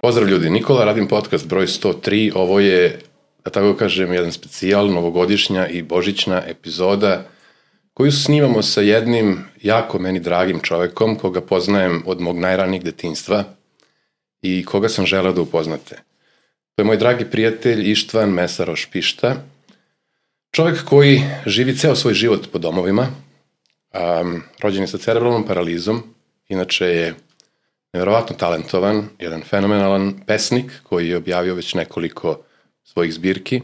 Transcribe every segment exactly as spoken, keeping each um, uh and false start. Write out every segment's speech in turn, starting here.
Pozdrav ljudi, Nikola, radim podcast broj sto tri, ovo je, da tako kažem, jedan specijal, novogodišnja i božićna epizoda koju snimamo sa jednim jako meni dragim čovekom koga poznajem od mog najranijeg detinjstva i koga sam želeo da upoznate. To je moj dragi prijatelj Ištvan Mesaroš Pišta, čovek koji živi ceo svoj život po domovima, um, rođen je sa cerebralnom paralizom, inače je nevjerovatno talentovan, jedan fenomenalan pesnik koji je objavio već nekoliko svojih zbirki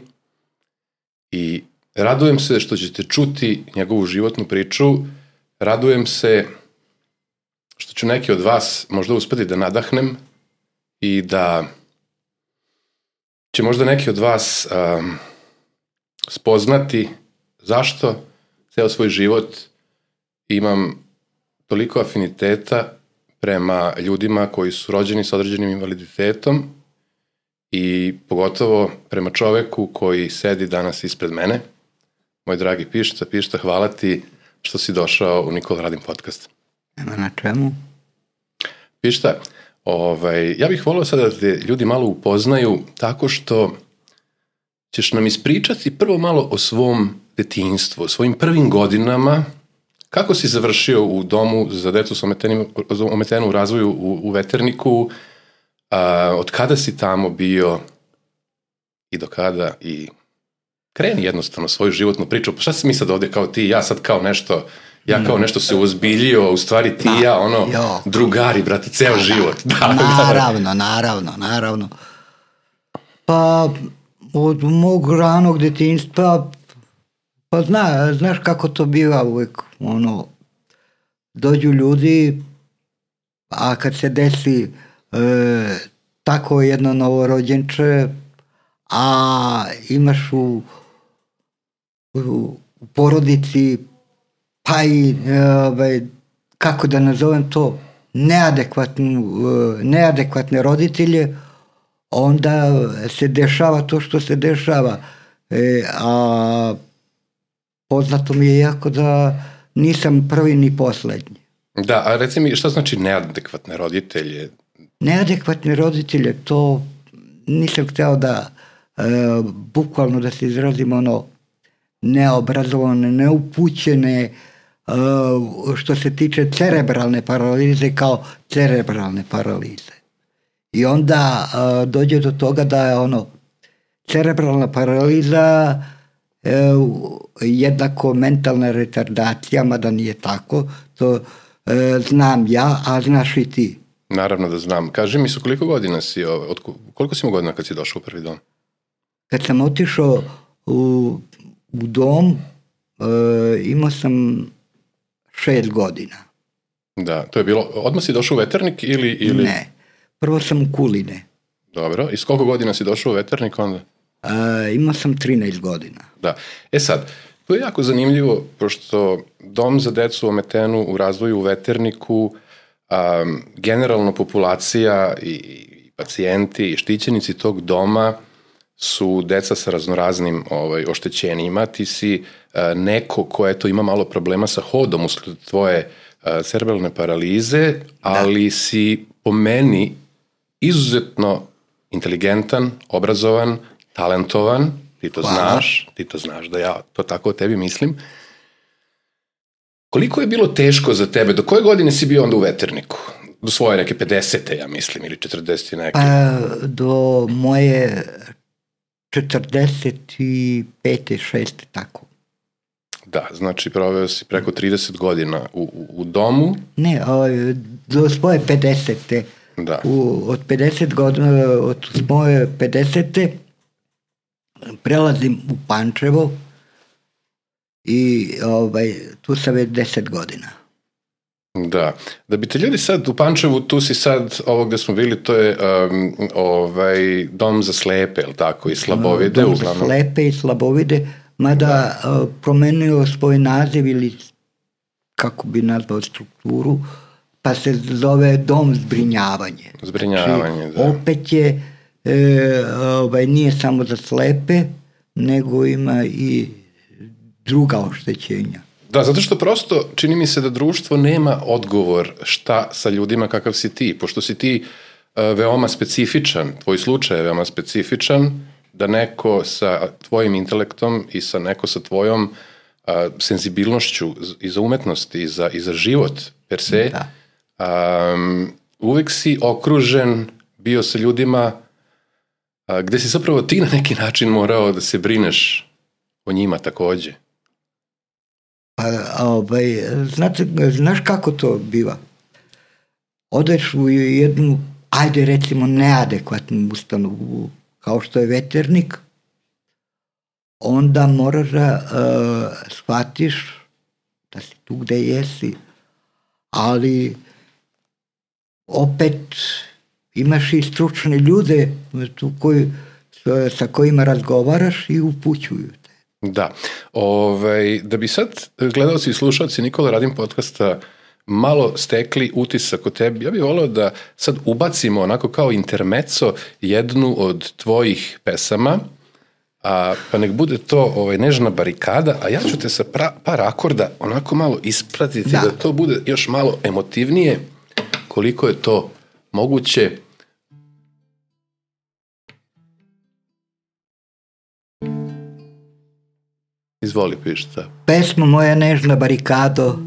i radujem se što ćete čuti njegovu životnu priču, radujem se što ću neki od vas možda uspeti da nadahnem i da će možda neki od vas um, spoznati zašto ceo svoj život imam toliko afiniteta prema ljudima koji su rođeni sa određenim invaliditetom i pogotovo prema čoveku koji sedi danas ispred mene. Moj dragi Pišta, Pišta, hvala ti što si došao u Nikola radim podcast. Nema na čemu. Pišta, ovaj, ja bih volio sada da te ljudi malo upoznaju tako što ćeš nam ispričati prvo malo o svom detinjstvu, o svojim prvim godinama. Kako si završio u domu za decu sa ometenu u razvoju u, u Veterniku, a, od kada si tamo bio i do kada i kreni jednostavno svoju životnu priču. Pa šta si mi sad ovde kao ti, ja sad kao nešto, ja kao nešto se uozbiljio, u stvari ti i ja, ono, jo. drugari, brate, ceo da, život. Da, naravno, naravno, naravno. Pa, od mog ranog detinjstva, pa zna, znaš kako to biva uvek, ono, dođu ljudi, a kad se desi e, tako jedno novorođenče, a imaš u, u, u porodici, pa i, e, kako da nazovem to, neadekvatnu, e, neadekvatne roditelje, onda se dešava to što se dešava, e, a poznato mi je jako da nisam prvi ni poslednji. Da, a reci mi, šta znači neadekvatne roditelje? Neadekvatne roditelje, to nisam hteo da, e, bukvalno da se izrazim, ono, neobrazovane, neupućene, e, što se tiče cerebralne paralize, kao cerebralne paralize. I onda e, dođe do toga da je, ono, cerebralna paraliza e, jednako mentalna retardacija, mada nije tako, to e, znam ja, a znaš i ti. Naravno da znam. Kaži mi, su koliko godina si, od, koliko si imao godina kad si došao u prvi dom? Kad sam otišao u, u dom, e, imao sam šest godina. Da, to je bilo, odmah si došao u Veternik ili... ili... Ne, prvo sam u Kuline. Dobro, i s koliko godina si došao u Veternik onda? E, imao sam trinaest godina. Da, e sad, to je jako zanimljivo, pošto dom za decu ometenu u razvoju u Veterniku, um, generalno populacija i, i pacijenti i štićenici tog doma su deca sa raznoraznim ovaj, oštećenjima. Ti si uh, neko ko eto, ima malo problema sa hodom usled tvoje uh, cerebralne paralize, ali da. Si po meni izuzetno inteligentan, obrazovan, talentovan, ti to Hvala. znaš, ti to znaš da ja to tako o tebi mislim. Koliko je bilo teško za tebe, do koje godine si bio onda u Veterniku? Do svoje neke pedesete, ja mislim, ili četrdeset neke? Pa, do moje četrdeset pete, šeste, tako. Da, znači proveo si preko trideset godina u, u, u domu. Ne, o, do svoje pedesete. Da. U, od pedeset godina, od moje pedesete prelazim u Pančevo i ovaj, tu sam već deset godina. Da, da bi te ljudi sad u Pančevu, tu si sad, ovo gde smo bili, to je um, ovaj, dom za slepe, je li tako, i slabovide? Dom uglavnom. za slepe i slabovide, mada da. uh, promenio svoj naziv ili kako bi nazvao strukturu, pa se zove dom zbrinjavanje. Zbrinjavanje, znači, da. Opet je, e, ovaj, nije samo za slepe, nego ima i druga oštećenja. Da, zato što prosto čini mi se da društvo nema odgovor šta sa ljudima kakav si ti, pošto si ti veoma specifičan, tvoj slučaj je veoma specifičan, da neko sa tvojim intelektom i sa neko sa tvojom a, senzibilnošću i za umetnost i za, i za život per se, da. a, uvek si okružen bio sa ljudima a, gde si zapravo ti na neki način morao da se brineš o njima takođe. Pa, ovaj, znate, znaš kako to biva? Odeš u jednu, ajde recimo, neadekvatnu ustanovu, kao što je veternik, onda moraš da uh, shvatiš da si tu gde jesi, ali opet imaš i stručne ljude tu koji, sa kojima razgovaraš i upućuju te. Da. Ovaj, da bi sad gledalci i slušalci Nikola Radim podcasta malo stekli utisak o tebi, ja bih voleo da sad ubacimo onako kao intermezzo jednu od tvojih pesama, a, pa nek bude to ovaj, Nežna barikada, a ja ću te sa pra, par akorda onako malo ispratiti da. da to bude još malo emotivnije, koliko je to moguće. Izvoli, pišta. Pesma moja Nežna barikado,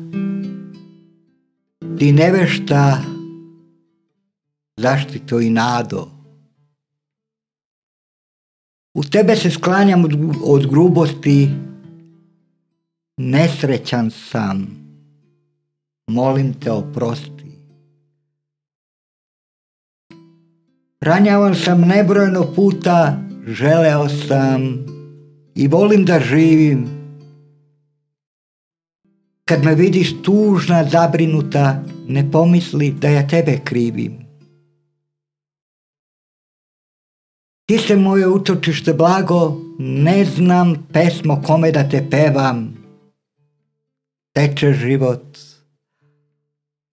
ti nevešta, zaštito i nado. U tebe se sklanjam od, od grubosti, nesrećan sam, molim te oprosti. Ranjavan sam nebrojeno puta, želeo sam i volim da živim. Kad me vidiš tužna, zabrinuta, ne pomisli da ja tebe krivim. Ti se moje utočište blago, ne znam pesmo kome da te pevam. Teče život,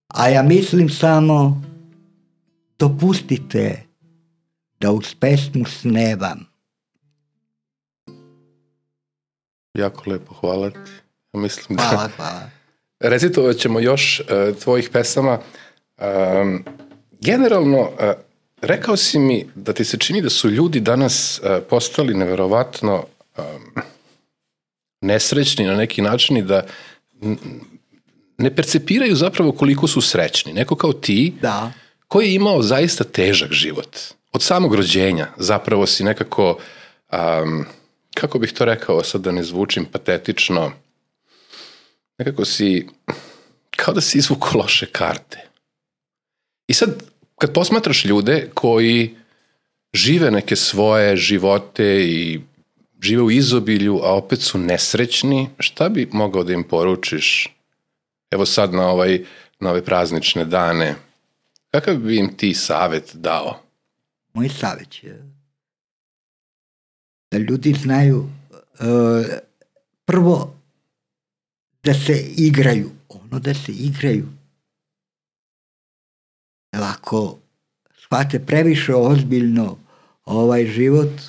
a ja mislim samo, dopustite da uz pesmu snevam. Jako lepo, hvala ti. Mislim da hvala, hvala. Recitovat ćemo još uh, tvojih pesama. Um, generalno, uh, rekao si mi da ti se čini da su ljudi danas uh, postali neverovatno um, nesrećni na neki način i da n- ne percepiraju zapravo koliko su srećni. Neko kao ti, da. Koji je imao zaista težak život. Od samog rođenja zapravo si nekako, um, kako bih to rekao, sad da ne zvučim patetično, nekako si, kao da si izvuko loše karte. I sad, kad posmatraš ljude koji žive neke svoje živote i žive u izobilju, a opet su nesrećni, šta bi mogao da im poručiš? Evo sad na, ovaj, na ove praznične dane, kakav bi im ti savjet dao? Moj savjet je da ljudi znaju uh, prvo da se igraju, ono da se igraju. Jer ako shvate previše ozbiljno ovaj život,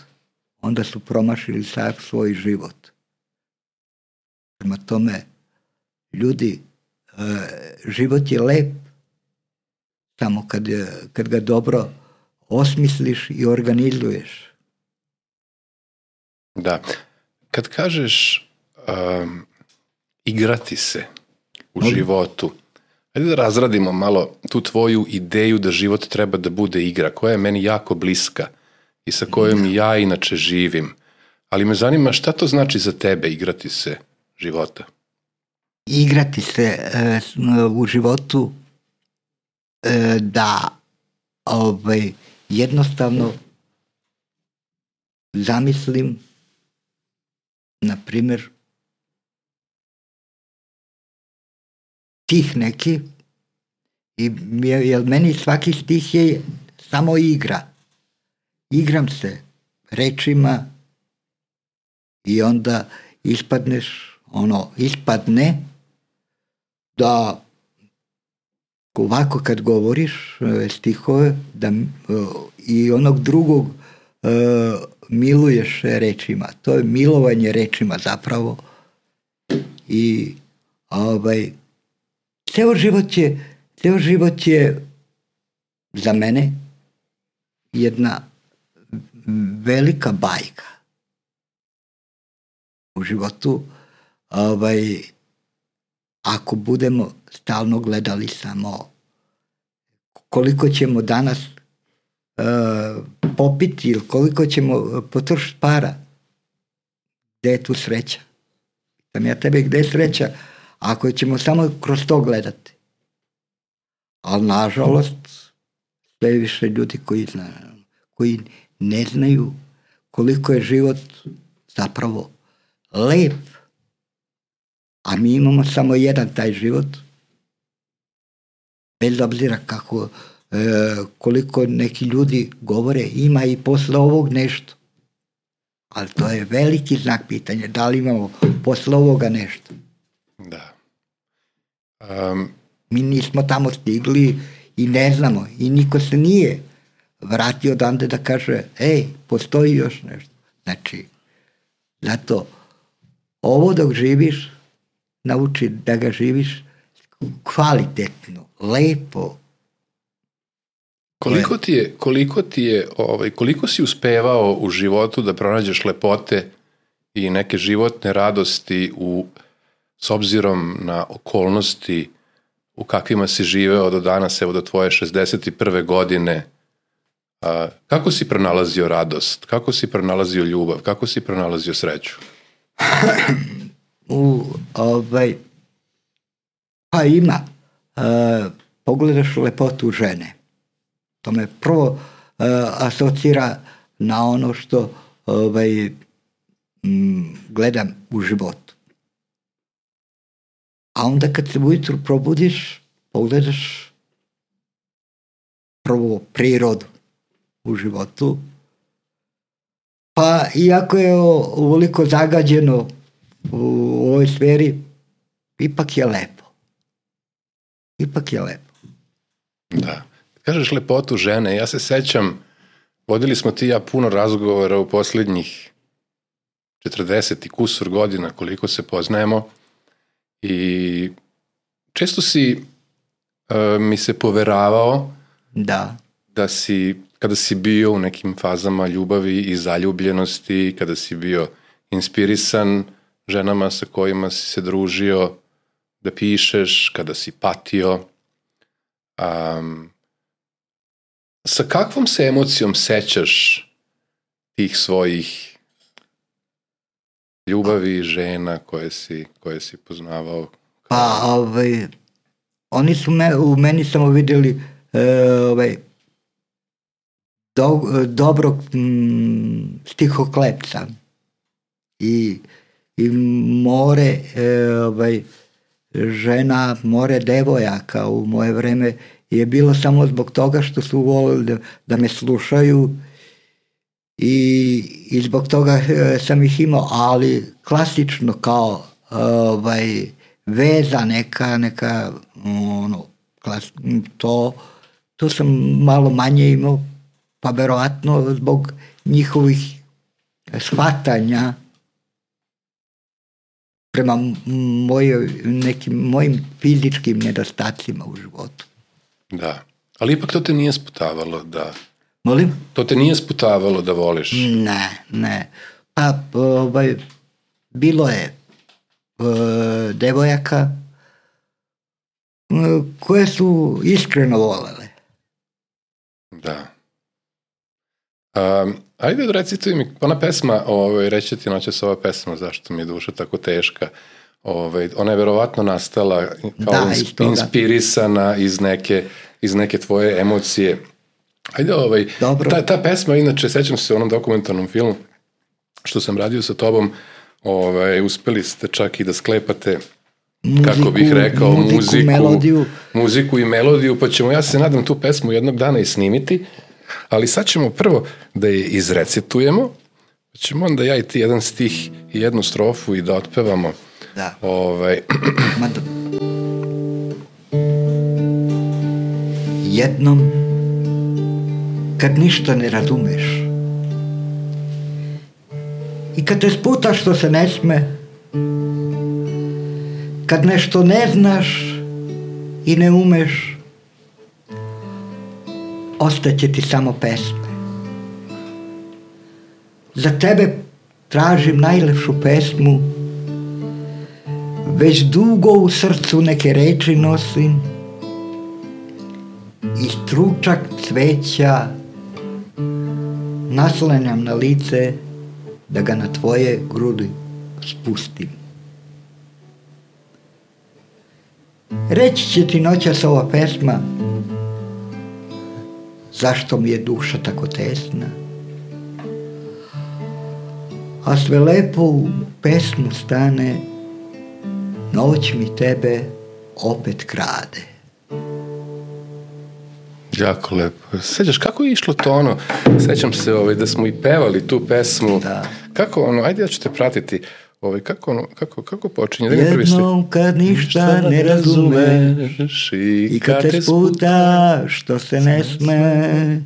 onda su promašili sav svoj život. Prema tome, ljudi, uh, život je lep, samo kad, kad ga dobro osmisliš i organizuješ. Da. Kad kažeš um, igrati se u Mogu. životu, ajde da razradimo malo tu tvoju ideju da život treba da bude igra, koja je meni jako bliska i sa kojom da. ja inače živim. Ali me zanima šta to znači za tebe igrati se života? Igrati se uh, u životu uh, da ovaj, jednostavno zamislim, na primjer, stih neki, i, jer meni svaki stih je samo igra. Igram se rečima i onda ispadneš, ono, ispadne da ovako kad govoriš stihove da, i onog drugog uh, miluješ rečima. To je milovanje rečima zapravo. I ovaj, ceo život je, ceo život je za mene jedna velika bajka u životu. Ovaj, ako budemo stalno gledali samo koliko ćemo danas uh, popiti ili koliko ćemo potrošiti para, gde je tu sreća? Pitam ja tebe, gde je sreća ako ćemo samo kroz to gledati? Ali nažalost sve više ljudi koji, zna, koji ne znaju koliko je život zapravo lep, a mi imamo samo jedan taj život, bez obzira kako, e, koliko neki ljudi govore, ima i posle ovog nešto. Ali to je veliki znak pitanja, da li imamo posle ovoga nešto. Da. Um, Mi nismo tamo stigli i ne znamo, i niko se nije vratio odande da kaže, ej, postoji još nešto. Znači, zato ovo dok živiš, nauči da ga živiš kvalitetno, lepo. Koliko ti je, koliko ti je, ovaj, koliko si uspevao u životu da pronađeš lepote i neke životne radosti u, s obzirom na okolnosti u kakvima si živeo do danas, evo do tvoje šezdeset prve godine, a, kako si pronalazio radost, kako si pronalazio ljubav, kako si pronalazio sreću? u ovaj pa ima uh, pogledaš lepotu žene, to me prvo uh, asocira na ono što ovaj m, gledam u životu, a onda kad se ujutru probudiš pogledaš prvo prirodu u životu, pa iako je ovoliko zagađeno u ovoj sferi, ipak je lepo. Ipak je lepo. Da. Kažeš lepotu žene, ja se sećam, vodili smo ti ja puno razgovora u posljednjih četrdeset i kusur godina koliko se poznajemo i često si uh, mi se poveravao da. da si, kada si bio u nekim fazama ljubavi i zaljubljenosti, kada si bio inspirisan ženama sa kojima si se družio, da pišeš, kada si patio. Um, sa kakvom se emocijom sećaš tih svojih ljubavi, žena koje si, koje si poznavao? Pa, ovaj, oni su me, u meni samo vidjeli e, ovaj, do, dobrog m, stihoklepca i, i more e, ovaj, žena, more devojaka u moje vreme je bilo samo zbog toga što su volili da, da me slušaju i, i zbog toga e, sam ih imao, ali klasično kao ovaj, veza neka, neka ono, klas, to, to sam malo manje imao, pa verovatno zbog njihovih shvatanja prema mojoj, nekim mojim fizičkim nedostacima u životu. Da, ali ipak to te nije sputavalo da... Molim? To te nije sputavalo da voliš? Ne, ne. Pa, ovaj, bilo je uh, devojaka uh, koje su iskreno volele. Da. Um, ajde recituj mi, ona pesma, ovaj, reći ti noćas ova pesma, zašto mi je duša tako teška, ovaj, ona je verovatno nastala kao da, insp- inspirisana iz neke, iz neke tvoje emocije. Ajde, ovaj, ta, ta pesma, inače, sećam se u onom dokumentarnom filmu što sam radio sa tobom, ovaj, uspeli ste čak i da sklepate, muziku, kako bih rekao, muziku, muziku, melodiju. muziku i melodiju, pa ćemo, ja se nadam, tu pesmu jednog dana i snimiti, ali sad ćemo prvo da je izrecitujemo, pa ćemo onda ja i ti jedan stih i jednu strofu i da otpevamo. Da. Ovaj. Jednom, kad ništa ne razumeš i kad te sputa što se ne sme, kad nešto ne znaš i ne umeš, ostaće ti samo pesme. za tebe tražim najlepšu pesmu, već dugo u srcu neke reči nosim i stručak cveća naslanjam na lice da ga na tvoje grudi spustim. Reći će ti noćas ova pesma zašto mi je duša tako tesna, a sve lepo u pesmu stane, noć mi tebe opet krade. Jako lepo. Sećaš kako je išlo to ono? Sećam se ovaj, da smo i pevali tu pesmu. Da. Kako ono, ajde ja ću te pratiti. Ovaj, kako, ono, kako, kako počinje? Da jednom kad ništa ne razumeš i kad te sputa što se ne sme,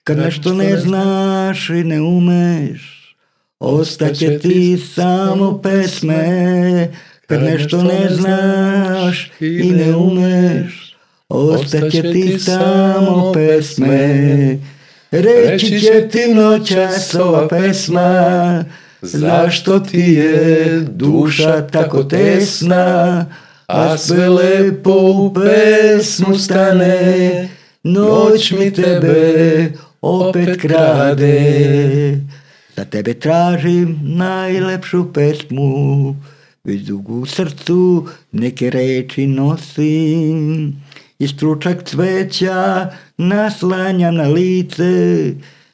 kad nešto ne znaš i ne umeš, ostaće ti samo pesme. Kad nešto ne znaš i ne umeš, ostaće ti samo pesme. Reći će ti noćas ova pesma, zašto ti je duša tako tesna, a sve lepo u pesmu stane, noć mi tebe opet krade. Za tebe tražim najlepšu pesmu, već dugo u srcu neke reči nosim i stručak cveća naslanjam na lice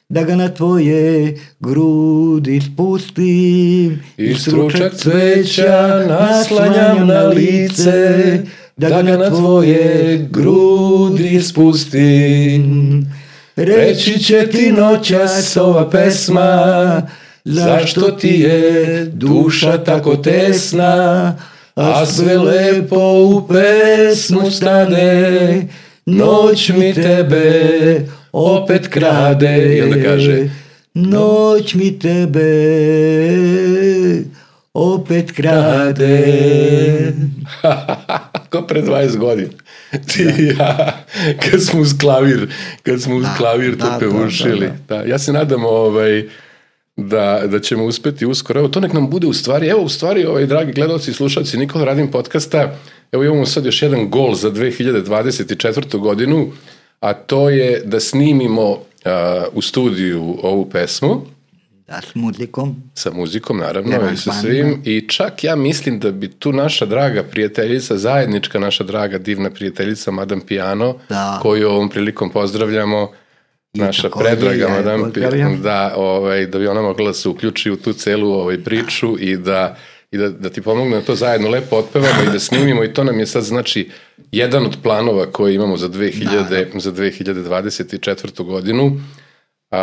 da ga na tvoje grudi spustim. I stručak cveća naslanjam na lice da ga na tvoje grudi spustim. Reći će ti noćas ova pesma, zašto ti je duša tako tesna, a sve lepo u pesmu stane, noć mi tebe opet krade. I onda kaže, noć mi tebe opet krade. Ko pre dvadeset godina. Ti i ja, kad smo uz klavir, kad smo uz da, klavir to da, pevušili. da, da. Da, ja se nadam ovaj, da, da ćemo uspeti uskoro. Evo, to nek nam bude u stvari, evo u stvari, ovaj, dragi gledalci i slušalci Nikola Radim podcasta, evo imamo sad još jedan gol za dve hiljade dvadeset četvrtu godinu, a to je da snimimo uh, u studiju ovu pesmu. Da, s muzikom. Sa muzikom, naravno, Nema i sa zvanja. svim. I čak ja mislim da bi tu naša draga prijateljica, zajednička naša draga divna prijateljica Madame Piano, Da. koju ovom prilikom pozdravljamo, I naša takođe, predraga ja je Madame pozdravljam. Piano, da, ovaj, da bi ona mogla da se uključi u tu celu ovaj, priču i da i da, da ti pomogne da to zajedno lepo otpevamo i da snimimo i to nam je sad znači jedan od planova koje imamo za, dve hiljade, za dve hiljade dvadeset četvrtu godinu. A,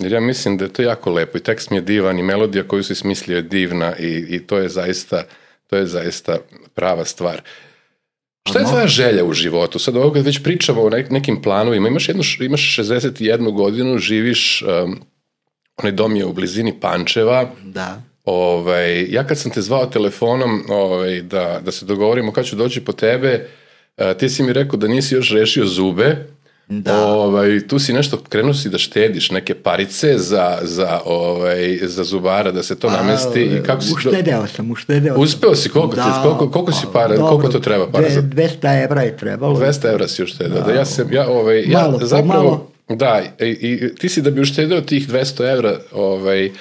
jer ja mislim da je to jako lepo i tekst mi je divan i melodija koju si smislio je divna i, i to je zaista to je zaista prava stvar. Šta je tvoja želja u životu? Sad ovo kad već pričamo o nekim planovima, imaš, jednu, imaš šezdeset jednu godinu, živiš, um, onaj dom je u blizini Pančeva. Da. Ovaj, ja kad sam te zvao telefonom ovaj, da, da se dogovorimo kad ću doći po tebe, uh, ti si mi rekao da nisi još rešio zube. Da. Ovaj, tu si nešto, krenuo si da štediš neke parice za, za, ovaj, za zubara, da se to namesti. I kako si uštedeo sam, uštedeo sam. Uspeo si, koliko, da, ti, koliko, koliko si para, dobro, koliko to treba para? Za... dvesta evra je trebalo. dvesta evra si uštedeo. Da, ja sam, ja, ovaj, malo, ja zapravo, malo. da, i, i ti si da bi uštedeo tih dvesta evra ovaj,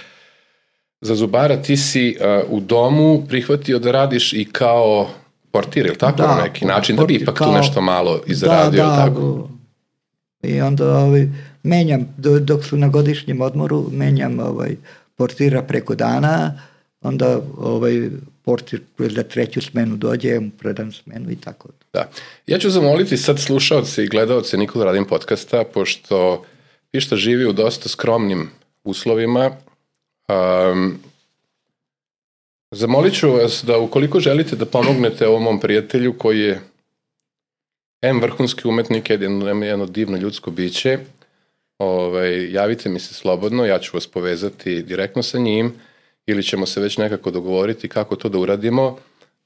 za zubara, ti si uh, u domu prihvatio da radiš i kao portir, ili tako, da, na neki način, portir, da bi ipak kao, tu nešto malo izradio, da, da, tako? I onda ovaj, menjam, dok su na godišnjem odmoru, menjam ovaj, portira preko dana, onda ovaj, portir za treću smenu dođe, mu predam smenu i tako. Da. Ja ću zamoliti sad slušaoce i gledaoce Nikola Radim podcasta, pošto Pišta živi u dosta skromnim uslovima. Um, zamolit ću vas da ukoliko želite da pomognete ovom mom prijatelju koji je em vrhunski umetnik, jedno, jedno divno ljudsko biće, ovaj, javite mi se slobodno, ja ću vas povezati direktno sa njim ili ćemo se već nekako dogovoriti kako to da uradimo,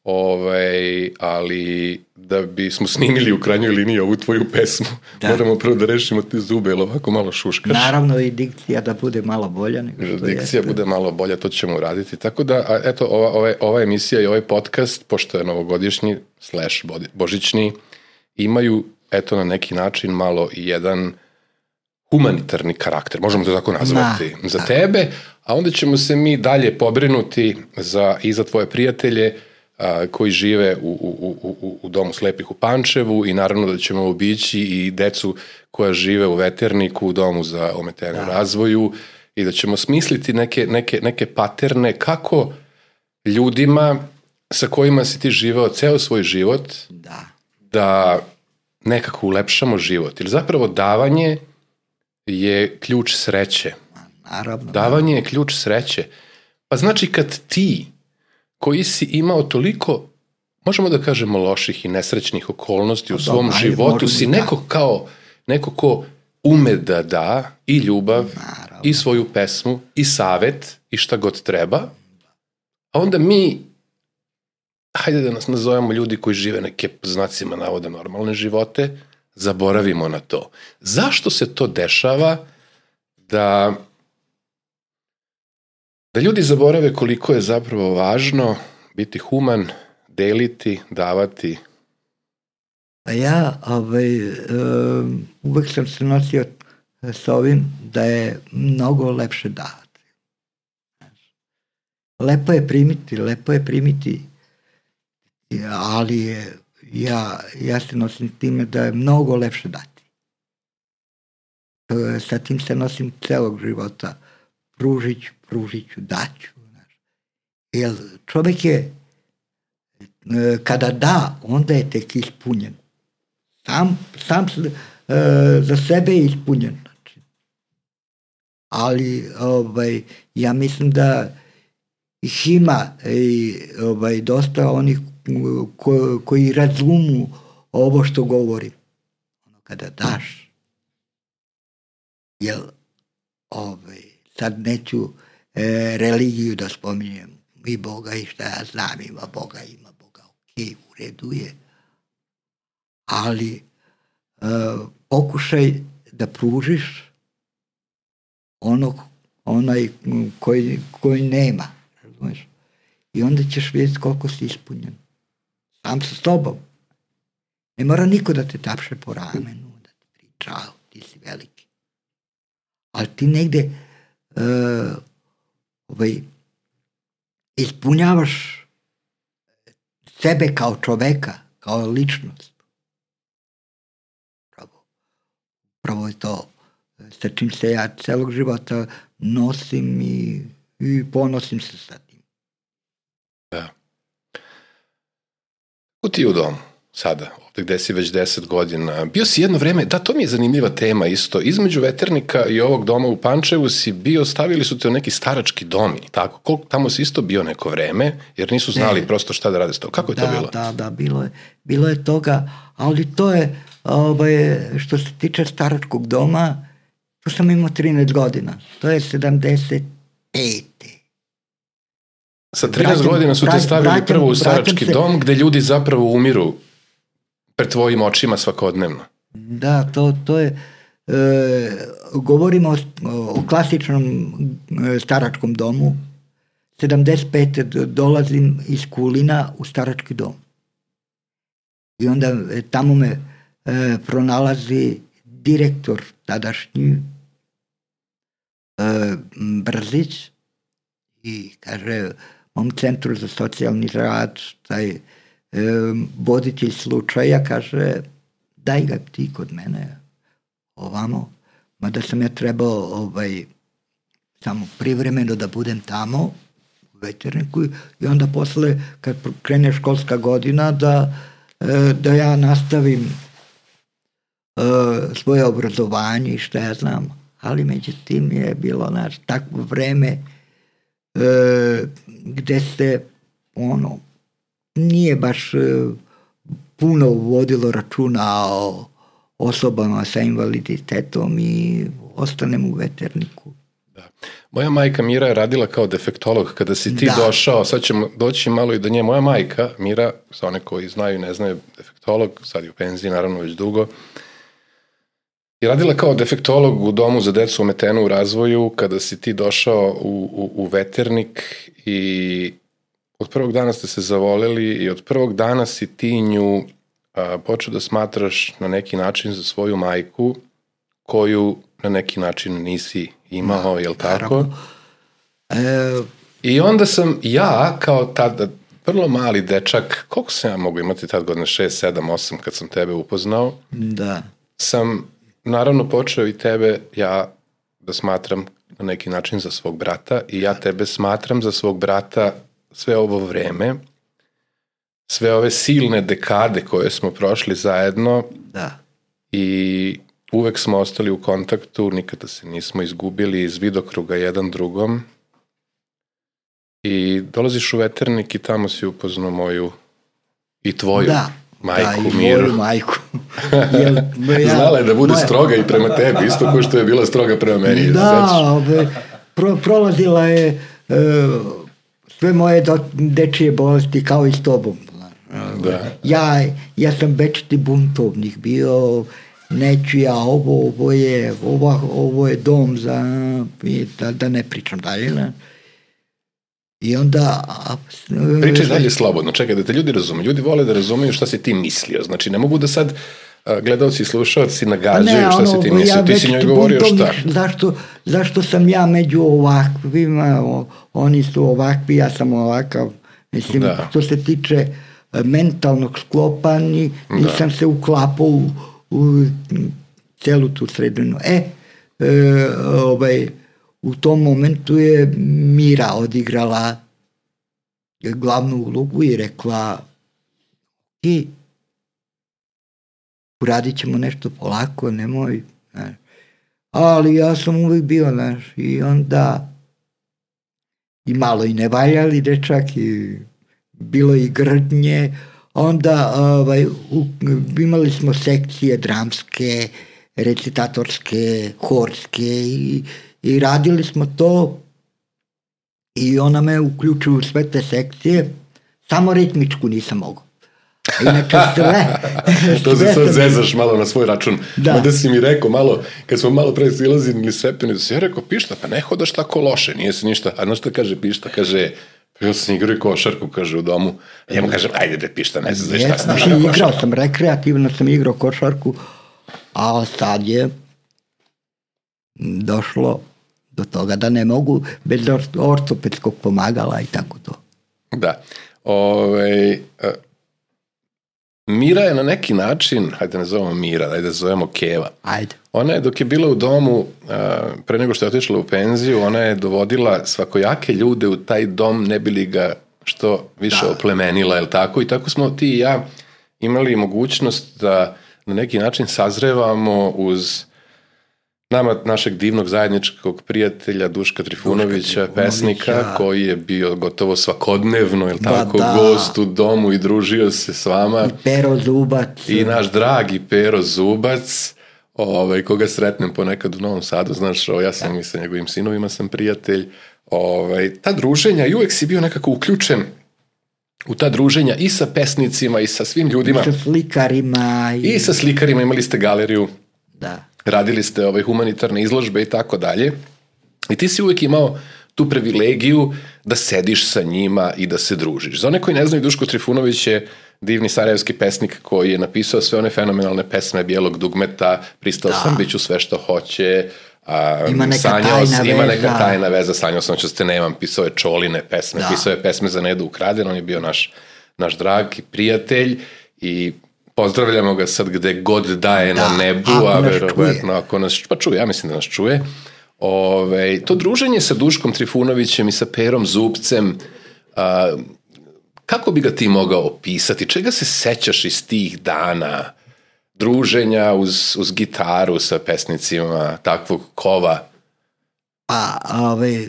ovaj, ali da bismo snimili u krajnjoj liniji ovu tvoju pesmu, da. Moramo prvo da rešimo te zube, ili ovako malo šuškaš. Naravno i dikcija da bude malo bolja. Nego što dikcija jeste. Bude malo bolja, to ćemo uraditi. Tako da, a, eto, ova, ova, ova emisija i ovaj podcast, pošto je novogodišnji slash božićni, imaju, eto, na neki način malo i jedan humanitarni karakter, možemo to tako nazvati, Na, za tako. tebe, a onda ćemo se mi dalje pobrinuti za, i za tvoje prijatelje a, koji žive u, u, u, u domu slepih u Pančevu i naravno da ćemo obići i decu koja žive u Veterniku, u domu za ometene u razvoju i da ćemo smisliti neke, neke, neke paterne kako ljudima sa kojima si ti živeo ceo svoj život da, da nekako ulepšamo život. Ili zapravo davanje je ključ sreće. Naravno. Davanje je ključ sreće. Pa znači kad ti, koji si imao toliko, možemo da kažemo, loših i nesrećnih okolnosti u da, svom da, životu, si neko da. kao, neko ko ume da da i ljubav, Naravno. i svoju pesmu, i savet, i šta god treba, a onda mi, hajde da nas nazovemo ljudi koji žive neke, znacima navoda, normalne živote, zaboravimo na to. Zašto se to dešava da da ljudi zaborave koliko je zapravo važno biti human, deliti, davati? A ja ovaj, um, uvek sam se nosio sa ovim da je mnogo lepše davati. Lepo je primiti, lepo je primiti, ali je, ja, ja se nosim time da je mnogo lepše dati. Sa tim se nosim celog života. Pružit ću, pružit ću, daću. Jer čovjek je, kada da, onda je tek ispunjen. Sam, sam za sebe je ispunjen. Znači. Ali ovaj, ja mislim da ih ima i, ovaj, dosta onih ko, koji razumu ovo što govorim. Kada daš, jer ovaj, sad neću e, religiju da spominjem, i Boga i šta ja znam, ima Boga, ima Boga, ok, u redu je, ali e, pokušaj da pružiš onog, onaj koji, koji nema, razumiješ? I onda ćeš vidjeti koliko si ispunjen. Sam sa tobom. Ne mora niko da te tapše po ramenu, da ti priča, ti si veliki. Ali ti negde uh, ovaj, ispunjavaš sebe kao čoveka, kao ličnost. Pravo, pravo je to sa čim se ja celog života nosim i, i ponosim se sa tim. Da. Kako ti u domu sada, ovdje gde si već deset godina? Bio si jedno vreme, da, to mi je zanimljiva tema isto, između Veternika i ovog doma u Pančevu si bio, stavili su te u neki starački dom, tako, koliko, tamo si isto bio neko vreme, jer nisu znali ne. prosto šta da rade s to. Kako je da, to bilo? Da, da, bilo je, bilo je toga, ali to je, ovaj, što se tiče staračkog doma, tu sam imao trinaest godina, to je sedamdeset pete Sa trinaest godina su te stavili vratim, prvo u starački se, dom gde ljudi zapravo umiru pred tvojim očima svakodnevno. Da, to, to je, e, govorimo o, o klasičnom e, staračkom domu. sedamdeset pete dolazim iz Kulina u starački dom. I onda e, tamo me e, pronalazi direktor tadašnji e, Brzić i kaže, mom centru za socijalni rad, taj e, voditelj slučaja, kaže, daj ga ti kod mene ovamo, mada sam ja trebao ovaj, samo privremeno da budem tamo u Veterniku i onda posle, kad krene školska godina, da, e, da ja nastavim e, svoje obrazovanje i šta ja znam, ali međutim je bilo naš takvo vreme E, gde se ono nije baš e, puno vodilo računa o osobama sa invaliditetom i ostanem u Veterniku. Da. Moja majka Mira je radila kao defektolog. Kada si ti da. došao, sad ćemo doći malo i do nje. Moja majka Mira, za one koji znaju i ne znaju, defektolog, sad je u penziji, naravno već dugo, je radila kao defektolog u domu za decu ometenu u razvoju kada si ti došao u, u, u Veternik i od prvog dana ste se zavoleli i od prvog dana si ti nju a, počeo da smatraš na neki način za svoju majku koju na neki način nisi imao, jel tako? E... I onda sam ja kao tada vrlo mali dečak, koliko sam ja mogu imati tad godine, šest, sedam, osam kad sam tebe upoznao, da. sam naravno počeo i tebe ja da smatram na neki način za svog brata i ja tebe smatram za svog brata sve ovo vreme, sve ove silne dekade koje smo prošli zajedno da. I uvek smo ostali u kontaktu, nikada se nismo izgubili iz vidokruga jedan drugom i dolaziš u Veternik i tamo si upoznao moju i tvoju da. majku da, Miru. Da, majku. Jel, ja, Znala je da bude moja... stroga i prema tebi, isto kao što je bila stroga prema meni. Da, be, pro, prolazila je uh, sve moje do, dečije bolesti kao i s tobom. Da. Ja, ja sam večiti buntovnik bio, neću ja ovo, ovo je, ovo, ovo je dom za, da, da ne pričam dalje. Ne? I onda... Pričaj dalje slobodno, čekaj da te ljudi razume. Ljudi vole da razumeju šta si ti mislio. Znači, ne mogu da sad gledalci i slušalci nagađaju ne, šta ono, si ti mislio. Ja ti si njoj govorio šta? Zašto, zašto sam ja među ovakvima, oni su ovakvi, ja sam ovakav. Mislim, da. Što se tiče mentalnog sklopa, ni, nisam da. se uklapao u, u celu tu sredinu. E, e ovaj... U tom momentu je Mira odigrala glavnu ulogu i rekla i uradit ćemo nešto polako, nemoj. Ne. Ali ja sam uvijek bio, znaš, i onda i malo i nevaljali dečak i bilo i grdnje. Onda ovaj, u, imali smo sekcije dramske, recitatorske, horske i I radili smo to i ona me uključila u sve te sekcije, samo ritmičku nisam mogao. Inače sve... to se sad zezaš malo na svoj račun. Da. Onda si mi rekao malo, kad smo malo pre silazili stepeni, da si ja rekao, Pišta, pa ne hodaš tako loše, nije se ništa. A znaš šta kaže Pišta? Kaže, ja sam igrao košarku, kaže u domu. Ja mu kažem, ajde bre Pišta, ne znam šta sam igrao košarku. Igrao sam, rekreativno sam igrao košarku, a sad je došlo do toga da ne mogu bez ortopedskog pomagala i tako to. Da. Ove, Mira je na neki način, hajde ne zovemo Mira, hajde da zovemo Keva. Ajde. Ona je dok je bila u domu, pre nego što je otišla u penziju, ona je dovodila svakojake ljude u taj dom, ne bi li ga što više da. oplemenila, je li tako? I tako smo ti i ja imali mogućnost da na neki način sazrevamo uz nama, našeg divnog zajedničkog prijatelja Duška Trifunovića, Duška pesnika, ja. koji je bio gotovo svakodnevno, je li tako, da. gost u domu i družio se s vama. I Pero Zubac. I naš dragi Pero Zubac, ovaj, koga sretnem ponekad u Novom Sadu, znaš, o, ja sam da. i sa njegovim sinovima sam prijatelj. Ovaj, ta druženja, i uvek si bio nekako uključen u ta druženja i sa pesnicima i sa svim ljudima. I sa slikarima. I, I sa slikarima, imali ste galeriju. Da. Radili ste ove humanitarne izložbe i tako dalje. I ti si uvijek imao tu privilegiju da sediš sa njima i da se družiš. Za one koji ne znaju, Duško Trifunović je divni sarajevski pesnik koji je napisao sve one fenomenalne pesme Bijelog dugmeta, Pristao da. sam, bit ću sve što hoće, a, ima neka sanjao, tajna ima veza. neka tajna veza, sanjao sam što ste nemam, pisao je Čoline pesme, da. pisao je pesme za Nedu Ukraden, on je bio naš, naš dragi prijatelj i pozdravljamo ga sad gde god da je da, na nebu, a verovatno ako nas pa čuje, ja mislim da nas čuje. Ove, to druženje sa Duškom Trifunovićem i sa Perom Zubcem, a, kako bi ga ti mogao opisati? Čega se sećaš iz tih dana druženja uz, uz gitaru sa pesnicima takvog kova? Pa, ove,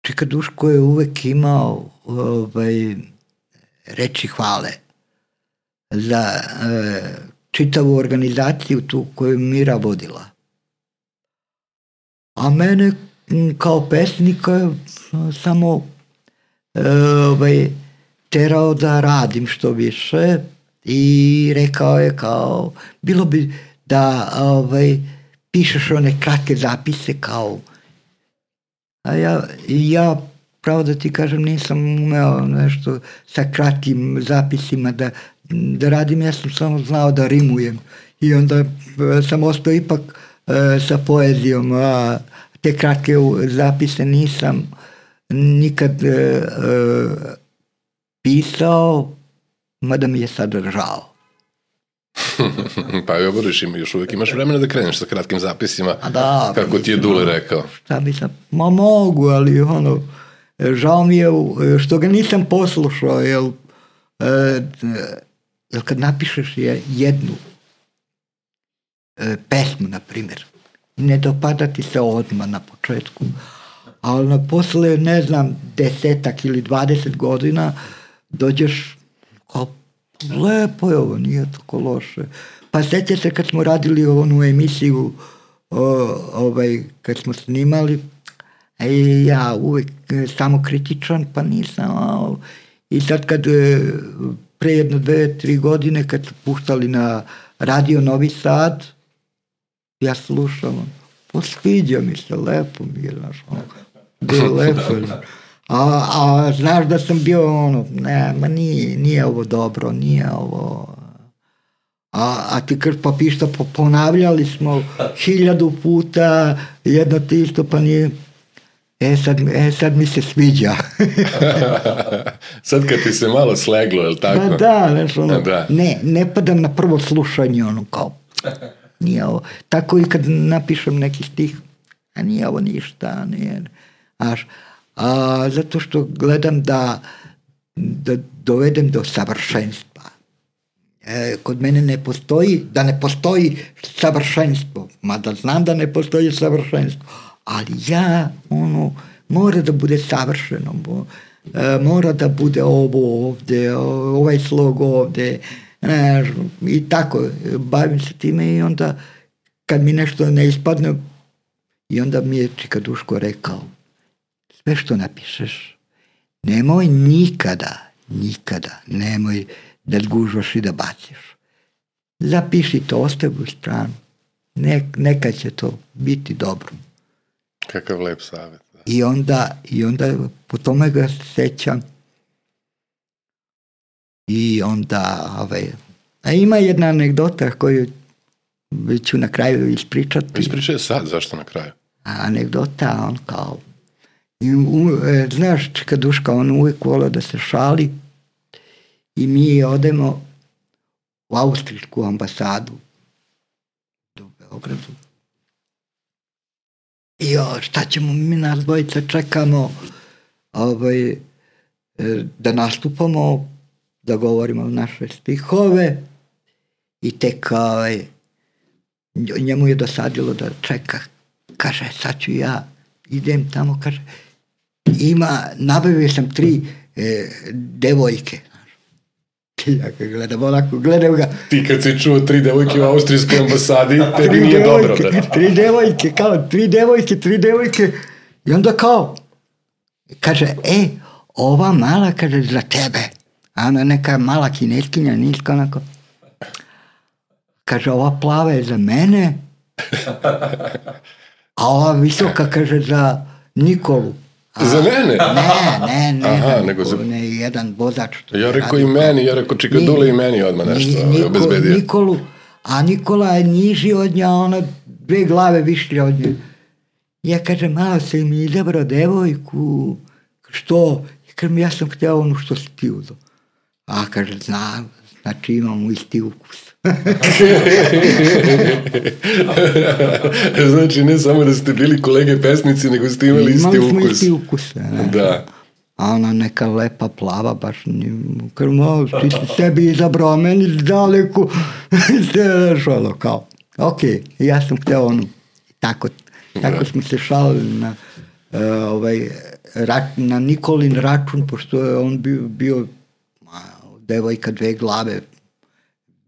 čeka Duško je uvek imao ove, reči hvale za e, čitavu organizaciju tu koju Mira vodila. A mene kao pesnika samo ovaj, terao da radim što više i rekao je kao, bilo bi da ovaj, pišeš one kratke zapise kao, a ja, ja pravo da ti kažem, nisam umeo nešto sa kratkim zapisima da, da radim, ja sam samo znao da rimujem i onda sam ostao ipak e, sa poezijom, a te kratke zapise nisam nikad e, e, pisao, mada mi je sad žao. Pa evo budeš, još uvijek imaš vremena da kreneš sa kratkim zapisima, da, kako ti je Dule rekao. Šta bi sam, ma mogu, ali ono, žao mi je što ga nisam poslušao, jer, jer kad napišeš jednu pesmu, na primjer, ne dopada ti se odmah na početku, ali posle, ne znam, desetak ili dvadeset godina dođeš kao, lepo je ovo, nije tako loše. Pa sjeća se kad smo radili onu emisiju, o, ovaj, kad smo snimali, i ja uvijek samo kritičan, pa nisam. A, i sad kad pre jedno dve, tri godine kad su puštali na radio Novi Sad, ja slušam, posviđa mi se, lepo mi je, znaš, bilo lepo. A, a znaš da sam bio ono, ne, ma nije, nije ovo dobro, nije ovo. A, a ti krš pa pišta, ponavljali smo hiljadu puta, jedno ti isto, pa nije. E sad, e, sad mi se sviđa. Sad kad ti se malo sleglo, je li tako? Da, da, znaš, ono, da. Ne, ne padam na prvo slušanje, ono, kao, nije ovo. Tako i kad napišem neki stih, a nije ovo ništa, nije, znaš, a, zato što gledam da, da dovedem do savršenstva. E, kod mene ne postoji, da ne postoji savršenstvo, mada znam da ne postoji savršenstvo, ali ja, ono, mora da bude savršeno, bo, e, mora da bude ovo ovde, ovaj slog ovde, e, i tako, bavim se time i onda, kad mi nešto ne ispadne, i onda mi je Čika Duško rekao, sve što napišeš, nemoj nikada, nikada, nemoj da zgužvaš i da baciš. Zapiši to, ostavi u stranu, ne, neka će to biti dobro. Kakav lep savjet. Da. I onda, i onda po tome ga sećam. I onda, ovaj, a ima jedna anegdota koju ću na kraju ispričati. Ispričaj sad, zašto na kraju? A anegdota, on kao, i, u, e, znaš, Čika Duška, on uvijek volio da se šali i mi odemo u austrijsku ambasadu u Beogradu. I o, šta ćemo, mi nas dvojica čekamo ovaj, da nastupamo, da govorimo naše stihove i tek ovaj, njemu je dosadilo da čeka, kaže, sad ću ja, idem tamo, kaže, ima, nabavio sam tri e, devojke. Ja kad gledam onako, gledam ga. Ti kad si čuo tri devojke u austrijskoj ambasadi, tebi nije devojke, dobro. Da. Tri devojke, kao, tri devojke, tri devojke. I onda kao, kaže, e, ova mala, kaže, za tebe. A ona neka mala kineskinja, niska, onako. Kaže, ova plava je za mene. A ova visoka, kaže, za Nikolu. A, za mene? Ne, ne, ne, Aha, za nego za... ne, jedan vozač. Ja rekao i meni, ja rekao Čika Dule i meni odmah nešto Niko, obezbedio. Nikolu, a Nikola je niži od nja, ona dve glave višlje od nje. Ja kažem, malo se mi izabrao devojku, što? Ja kažem, ja sam htio ono što si ti uzao. A kaže, znam, znači imamo isti ukus. Znači ne samo da ste bili kolege pesnici, nego ste imali isti ukus. Imali smo isti ukus. Ne? Da. A ona neka lepa plava, baš krmo, ti si sebi izabrao, meni daleko. Sve šalo, kao, ok, ja sam htio onu. Tako, tako smo se šalili na, uh, ovaj, rač, na Nikolin račun, pošto je on bio, bio devojka dve glave,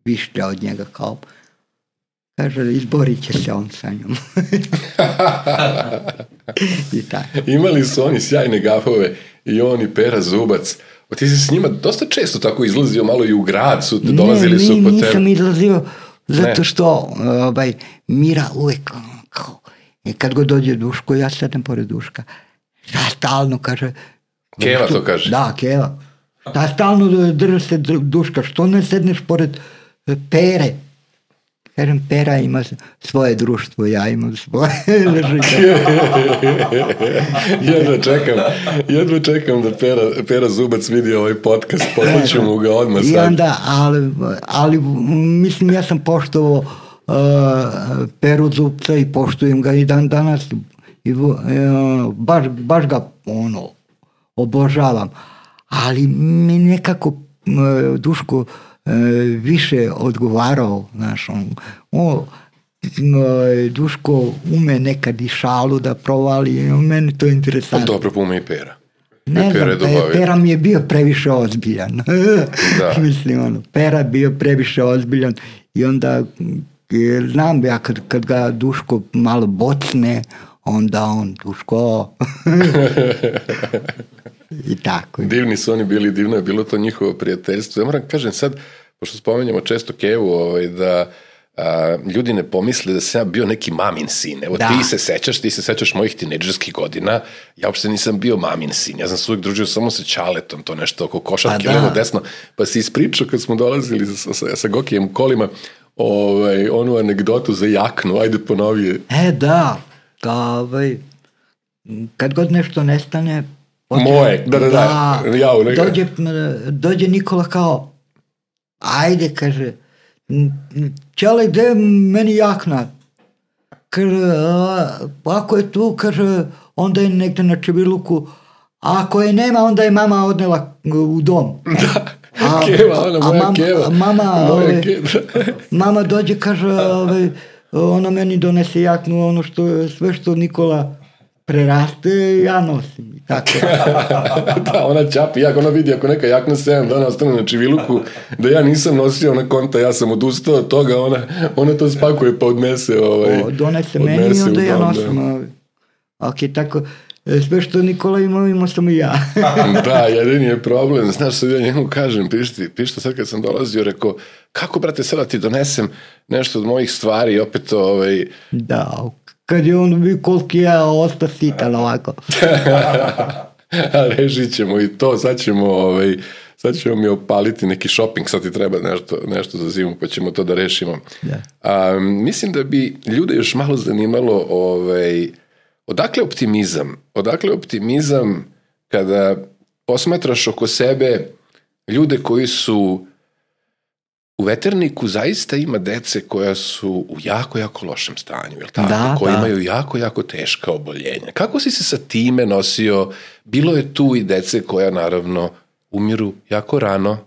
višlja od njega, kao, kaže, izborit će se on sa njom. I tako. Imali su oni sjajne gafove i on i Pera Zubac. O, ti si s njima dosta često tako izlazio, malo i u grad su, dolazili ne, su po tebe. Ne, nisam izlazio zato ne. što ovaj, Mira uvek kao, kad god dođe Duško, ja sedem pored Duška. Ja stalno kaže... Keva što, to kaže? Da, Keva. Da stalno drže se Duška, što ne sedneš pored Pere? Kažem, Pera ima svoje društvo, ja imam svoje. jedva čekam, jedva čekam da Pera, Pera Zubac vidi ovaj podcast, poslaću mu ga odmah sad. I onda, ali, ali mislim, ja sam poštovao uh, Peru Zubca i poštujem ga i dan danas. I, uh, baš, baš ga ono, obožavam. Ali mi nekako uh, Duško više odgovarao, znaš, on, o, Duško ume nekad i šalu da provali, meni to je interesantno. Dobro ume i Pera. Ne Pera, znam, Pera mi je bio previše ozbiljan. Da. Mislim, ono, Pera bio previše ozbiljan i onda znam ja kad, kad ga Duško malo bocne, onda on Duško... I tako. Divni su oni bili, divno je bilo to njihovo prijateljstvo. Ja moram kažem sad, pošto spomenjamo često Kevu, ovaj, da a, ljudi ne pomisle da sam ja bio neki mamin sin. Evo da. ti se sećaš, ti se sećaš mojih tinejdžerskih godina, ja uopšte nisam bio mamin sin, ja sam se uvijek družio samo sa Ćaletom, to nešto oko košarke, levo desno, pa si ispričao kad smo dolazili sa, sa, sa Gokijem u kolima, ovaj, onu anegdotu za jaknu, ajde ponovi je. E da, da ovaj, kad god nešto nestane, moje, da, da, da, da ja, dođe, dođe Nikola kao, ajde, kaže, Ćale, gde je meni jakna? Kaže, ako je tu, kaže, onda je negde na Čebiluku, a ako je nema, onda je mama odnela u dom. Da, a, Keva, ona moja mama, Keva. Mama, moja ove, Keva. Mama dođe, kaže, ove, ona meni donese jaknu, ono što, sve što Nikola preraste, ja nosim. Tako. Da, ona čapi, jak ona vidi ako neka jakna sedam dana ostane na Čiviluku, da ja nisam nosio ona konta, ja sam odustao od toga, ona, ona to spakuje pa odnese. Ovaj, o, donese meni i onda ja nosim. Ovaj. Ok, tako, sve što Nikola ima, imao sam i ja. Da, jedini je problem. Znaš, sad ja njemu kažem, pišti, pišta sad kad sam dolazio, rekao, kako, brate, sada ti donesem nešto od mojih stvari, opet, ovaj... Da, kad je on bio koliki ja ostao sitan ovako. Rešit ćemo i to, sad ćemo, ovaj, sad ćemo mi opaliti neki shopping, sad ti treba nešto, nešto za zimu, pa ćemo to da rešimo. Da. A, mislim da bi ljude još malo zanimalo, ovaj, odakle optimizam? Odakle optimizam kada posmatraš oko sebe ljude koji su u Veterniku zaista ima dece koja su u jako, jako lošem stanju, jel tako? Da, koji da. imaju jako, jako teška oboljenja. Kako si se sa time nosio? Bilo je tu i dece koja naravno umiru jako rano.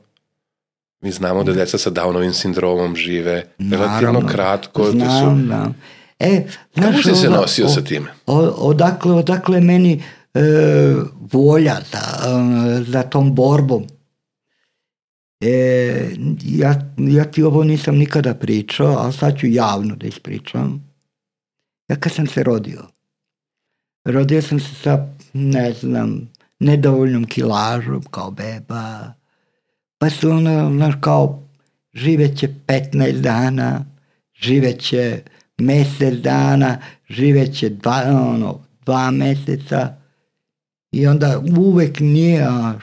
Mi znamo da deca sa Downovim sindromom žive relativno naravno, kratko. Znam, to su... da. E, znaš, kako si se oda, nosio o, sa time? O, odakle, odakle meni e, volja za, e, za tom borbom? E, ja, ja ti ovo nisam nikada pričao, ali sad ću javno da ispričam. Ja kad sam se rodio, rodio sam se sa, ne znam, nedovoljnom kilažom kao beba, pa su ono, znaš, kao živeće petnaest dana, živeće mesec dana, živeće dva, ono, dva meseca i onda uvek nije, a,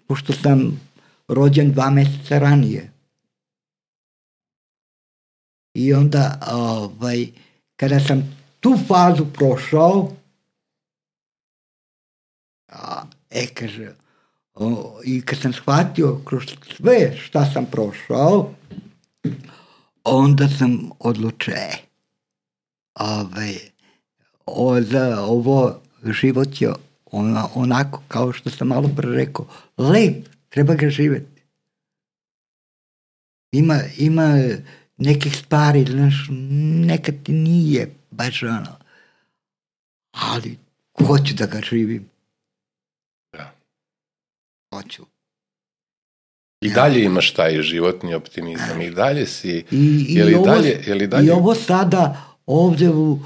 pošto sam rođen dva meseca ranije. I onda, ovaj, kada sam tu fazu prošao, a, e, kaže, o, i kad sam shvatio kroz sve šta sam prošao, onda sam odlučio, ovaj, o, za ovo život je ona, onako kao što sam malo pre rekao, lep, treba ga živjeti. Ima, ima nekih stvari, znaš, nekad ti nije baš ono, ali hoću da ga živim. Da. Hoću. I dalje imaš taj životni optimizam, i dalje si, I, i, je li ovo, dalje, je li dalje... I ovo sada ovdje u,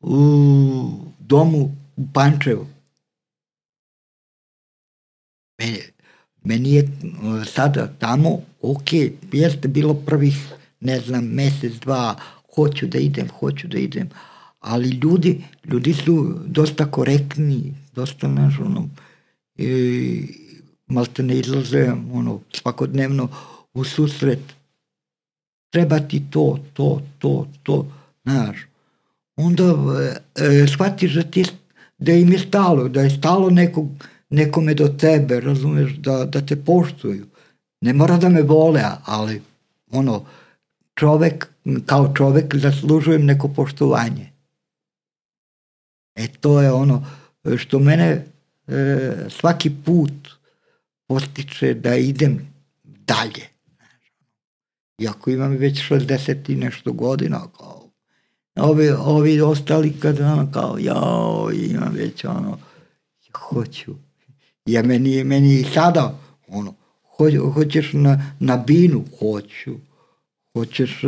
u domu u Pančevu. Meni, meni je sada tamo, ok, jeste bilo prvih, ne znam, mesec, dva, hoću da idem, hoću da idem, ali ljudi, ljudi su dosta korektni, dosta, znaš, ono, i, malte ne izlaze, ono, svakodnevno u susret. Treba ti to, to, to, to, znaš. Onda e, shvatiš da, ti, da im je stalo, da je stalo nekog, nekome do tebe, razumeš, da, da te poštuju. Ne mora da me vole, ali ono, čovek, kao čovek zaslužujem neko poštovanje. E to je ono što mene e, svaki put postiče da idem dalje. Iako imam već šezdeset i nešto godina, kao, ovi, ovi ostali kad ono kao, jao, imam već ono, hoću. Ja meni, meni sada, ono, ho, hoćeš na, na binu, hoću. Hoćeš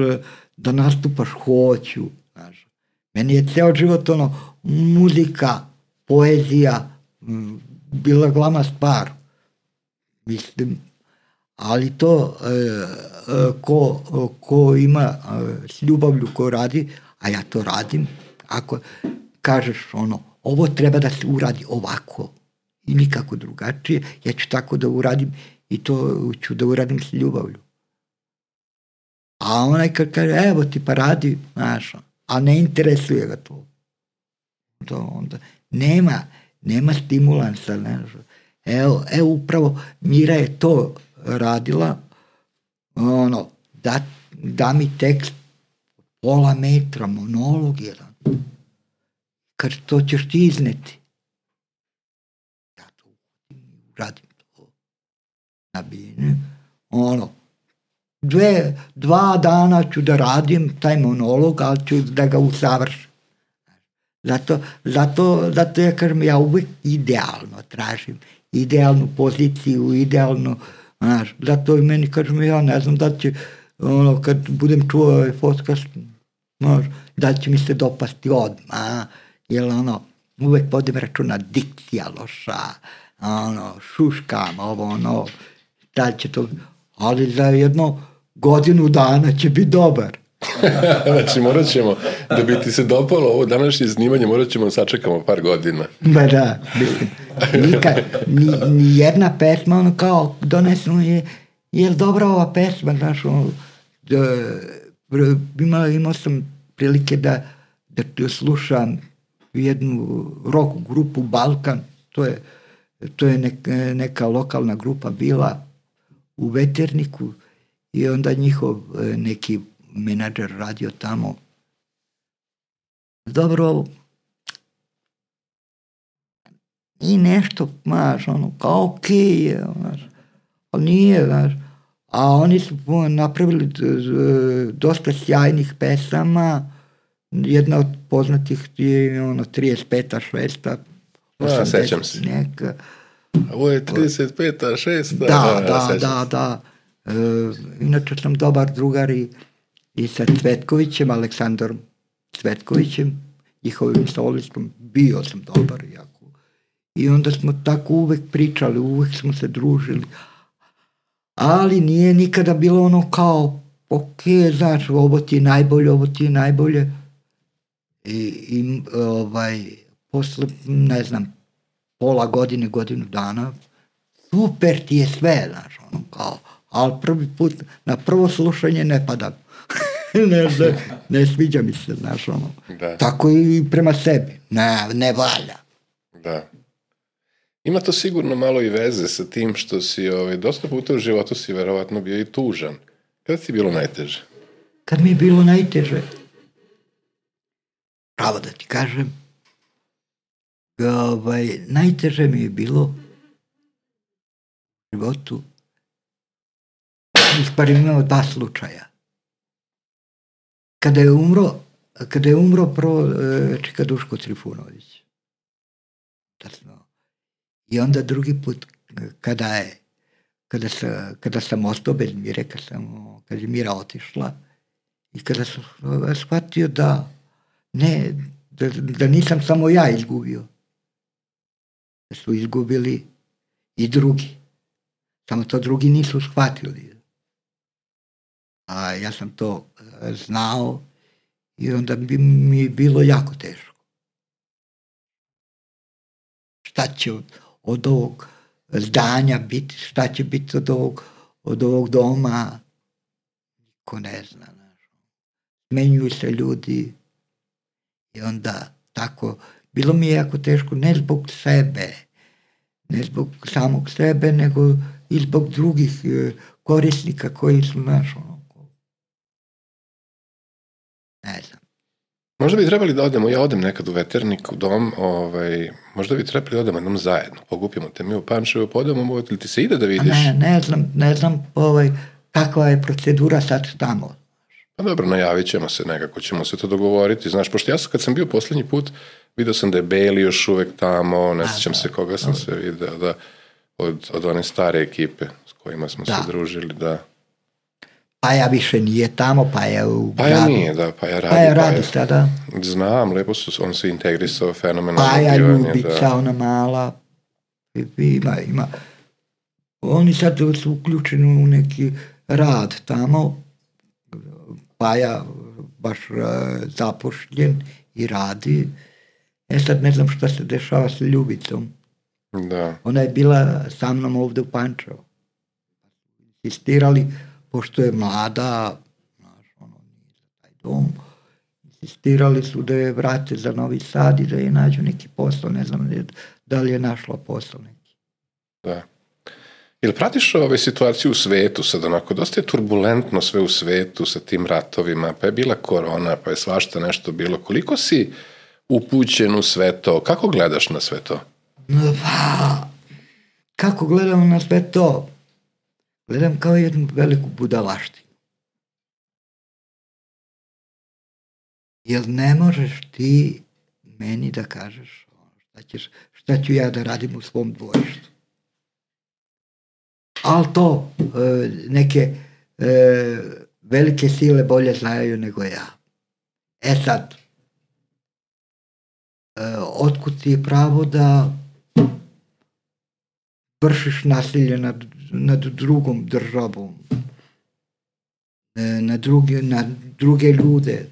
da nastupaš, hoću. Znaš. Meni je ceo život ono, muzika, poezija, bila glavna stvar. Mislim, ali to e, e, ko, ko ima e, s ljubavlju, ko radi, a ja to radim, ako kažeš ono, ovo treba da se uradi ovako i nikako drugačije, ja ću tako da uradim i to ću da uradim s ljubavlju. A onaj kad kaže, evo ti pa radi, znaš, a ne interesuje ga to. To onda nema, nema stimulansa, znaš. Evo, evo upravo Mira je to radila, ono, da, da mi tekst pola metra, monolog jedan. Kad to ćeš ti izneti. Ja to uradim to. Na bine. Ono, dve, dva dana ću da radim taj monolog, ali ću da ga usavršim. Zato, zato, zato ja kažem, ja uvijek idealno tražim. Idealnu poziciju, idealno, znaš, zato i meni kažem, ja ne znam da će, ono, kad budem čuo ovaj podcast, znaš, da će mi se dopasti odmah, jer ono, uvek vodim računa, dikcija loša, ono, šuškam, ovo, ono, da će to, ali za jedno godinu dana će biti dobar. Znači, morat ćemo, da bi ti se dopalo ovo današnje snimanje, morat ćemo sačekamo par godina. Ba da, mislim, nikad, ni, ni jedna pesma, ono kao, donesno je, je li dobra ova pesma, znaš, ono, da, imao, imao sam prilike da, da slušam jednu rock grupu Balkan, to je, to je neka, neka lokalna grupa bila u Veterniku i onda njihov neki menadžer radio tamo. Dobro, i nešto, znaš, ono, kao okej je, znaš, ali nije, znaš, a oni su napravili dosta sjajnih pesama, jedna od poznatih je ono trideset peta, šesta, a, sećam se. Neka. Ovo je trideset peta, šesta. Da, da, da, da. E, inače sam dobar drugar i, i sa Cvetkovićem, Aleksandrom Cvetkovićem, njihovim solistom, bio sam dobar jako. I onda smo tako uvek pričali, uvek smo se družili. Ali nije nikada bilo ono kao, ok, znaš, ovo ti je najbolje, ovo ti je najbolje. I, i ovaj, posle, ne znam, pola godine, godinu dana, super ti je sve, znaš, ono kao, ali prvi put, na prvo slušanje ne padam. ne, ne, ne sviđa mi se, znaš, ono. Da. Tako i prema sebi. Ne, ne valja. Da. Ima to sigurno malo i veze sa tim što si ovaj, dosta puta u životu si verovatno bio i tužan. Kada ti je bilo najteže? Kad mi je bilo najteže, pravo da ti kažem, ovaj, najteže mi je bilo u životu, uspari imao dva slučaja. Kada je umro, kada je umro prvo Čika Duško Trifunović. I onda drugi put kada je kada sam, kada sam ostao bez Mire, kada, sam, kada je Mira otišla i kada sam shvatio da ne, da, da nisam samo ja izgubio, su izgubili i drugi. Samo to drugi nisu shvatili. A ja sam to znao i onda bi mi bilo jako teško. Šta će od, od ovog zdanja biti, šta će biti od ovog, od ovog doma, niko ne zna. Smenjuju se ljudi i onda tako, bilo mi je jako teško, ne zbog sebe, ne zbog samog sebe, nego i zbog drugih korisnika koji su naš, ono, ne znam. Možda bi trebali da odemo, ja odem nekad u Veternik, u dom, ovaj, možda bi trebali da odemo jednom zajedno, pokupimo te mi u Pančevu, podemo, ili ti se ide da vidiš? Ne, ne znam, ne znam ovaj, kakva je procedura sad tamo. Pa dobro, najavit ćemo se nekako, ćemo se to dogovoriti, znaš, pošto ja sam, kad sam bio posljednji put, vidio sam da je Beli još uvek tamo, ne sjećam se koga sam se vidio, da, od, od one stare ekipe s kojima smo da. se družili, da. Paja više nije tamo, Paja u Paja gradu. nije, da, Paja radi. Paja radi sada. Znam, lepo su, on se integrisao fenomenalno. Paja Ljubica, da. Ona mala, ima, ima. Oni sad su uključeni u neki rad tamo, Paja baš uh, zapošljen i radi. E sad ne znam šta se dešava sa Ljubicom. Da. Ona je bila sa mnom ovdje u Pančevu. Insistirali, pošto je mlada, znaš, ono, nije za taj dom, insistirali su da je vrate za Novi Sad i da je nađu neki posao, ne znam da li je našla posao neki. Da. Jel pratiš ove situacije u svetu sad onako, dosta je turbulentno sve u svetu sa tim ratovima, pa je bila korona, pa je svašta nešto bilo. Koliko si upućen u sve to? Kako gledaš na sve to? Pa, kako gledam na sve to? Gledam kao jednu veliku budalaštinu. Jer ne možeš ti meni da kažeš šta, ćeš, šta ću ja da radim u svom dvorištu. Ali to e, neke e, velike sile bolje znaju nego ja. E sad, e, otkud ti je pravo da vršiš nasilje nad, nad drugom državom, e, na, druge, na druge ljude,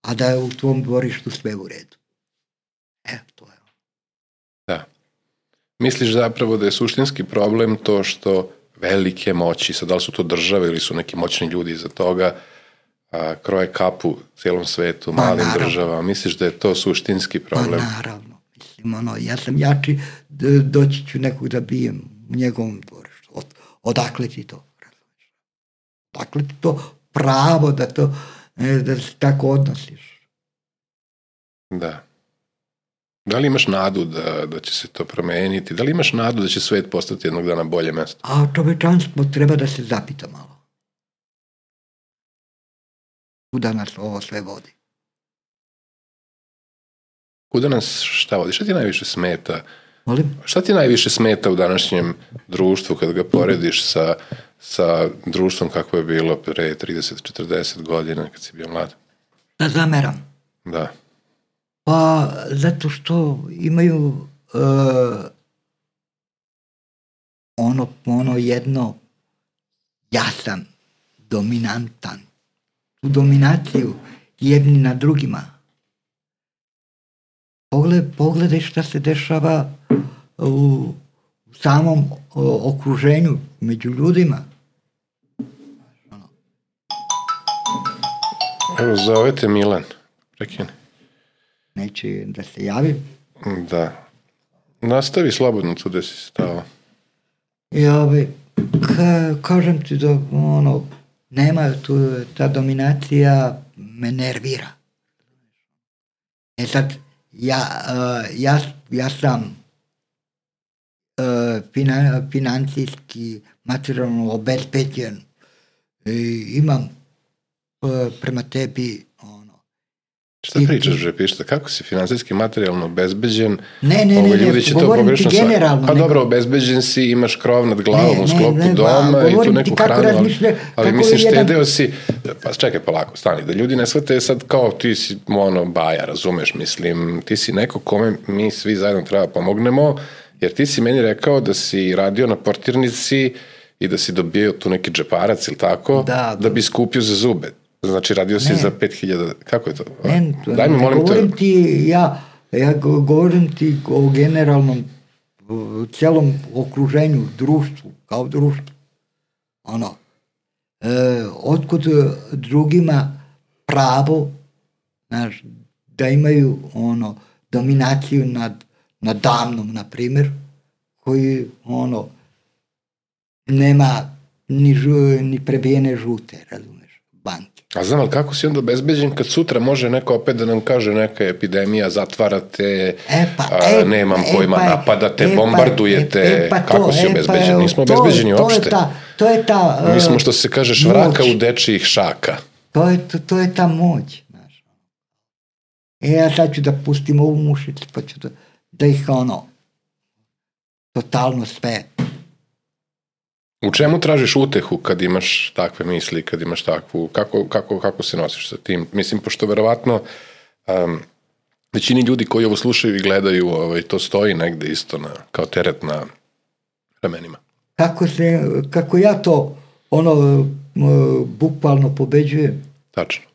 a da je u tvom dvorištu sve u redu. E, to je. Da. Misliš zapravo da je suštinski problem to što velike moći, sad da li su to države ili su neki moćni ljudi iza toga, a, kroje kapu cijelom svetu, pa, malim naravno. Državama. Misliš da je to suštinski problem? Pa naravno. Mislim, ono, ja sam jači, doći ću nekog da bijem u njegovom dvorištu. Od, odakle ti to? Odakle ti to pravo da to da se tako odnosiš? Da. Da li imaš nadu da, da će se to promeniti? Da li imaš nadu da će svet postati jednog dana bolje mjesto? A čovečanstvo treba da se zapita malo. Kuda nas ovo sve vodi? Kuda nas šta vodi? Šta ti najviše smeta? Molim? Šta ti najviše smeta u današnjem društvu kad ga porediš sa, sa društvom kako je bilo pre trideset četrdeset godina kad si bio mlad? Da zameram. Da. Pa zato što imaju uh, ono, ono jedno, ja sam dominantan. Tu dominaciju jedni na drugima. Pogled, pogledaj šta se dešava u, u samom o, okruženju među ljudima. Evo, zovete Milan. Prekini. Neće da se javim. Da. Nastavi slobodno tu da si stao. Ja bi, ka, kažem ti da ono, nema tu, ta dominacija me nervira. E sad, ja, uh, ja, ja sam uh, finan, financijski, materijalno obezbeđen. I imam uh, prema tebi ono, Šta pričaš, bre, pišta? Kako si finansijski materijalno obezbeđen? Ne, ne, Ove, ne, ljudi ne, će to govorim ti pogrešno shvatiti. generalno. Pa nego... dobro, obezbeđen si, imaš krov nad glavom ne, u sklopu ne, ne, doma ba, i tu govorim neku ti kako hranu, ali, razmišlja, ali kako mislim, jedan- štedeo si, pa čekaj polako, stani, da ljudi ne shvate sad kao ti si ono baja, razumeš, mislim, ti si neko kome mi svi zajedno treba pomognemo, jer ti si meni rekao da si radio na portirnici i da si dobio tu neki džeparac ili tako, Da, da bi skupio za zube. Znači, radio si Ne. za pet hiljada, kako je to? Ne, Daj mi, ne molim te. govorim ti, ja, ja go- govorim ti o generalnom uh, celom okruženju, društvu, kao društvu. Ono, e, otkud drugima pravo, znaš, da imaju ono, dominaciju nad, nad damnom, na primjer, koji ono, nema ni, žu, ni prebijene žute, razumeš, banke. A znam, ali kako si onda obezbeđen kad sutra može neko opet da nam kaže neka epidemija, zatvarate, E pa, a, e, nemam e pojma, pa, napadate, e pa, bombardujete, e, e pa to, kako si e pa, obezbeđen? evo, Nismo to je- obezbeđeni to je uopšte. ta- To je ta... Mi smo, uh, što se kaže, moć. švraka u dečijih šaka. To je, to, to je ta moć. Znaš. E, ja sad ću da pustim ovu mušicu, pa ću da, da ih ono, totalno sve. U čemu tražiš utehu kad imaš takve misli, kad imaš takvu, kako, kako, kako se nosiš sa tim? Mislim, pošto verovatno um, većini ljudi koji ovo slušaju i gledaju, ovaj, to stoji negde isto na, kao teret na ramenima. Kako, se, kako ja to ono, m, bukvalno pobeđujem, Tačno.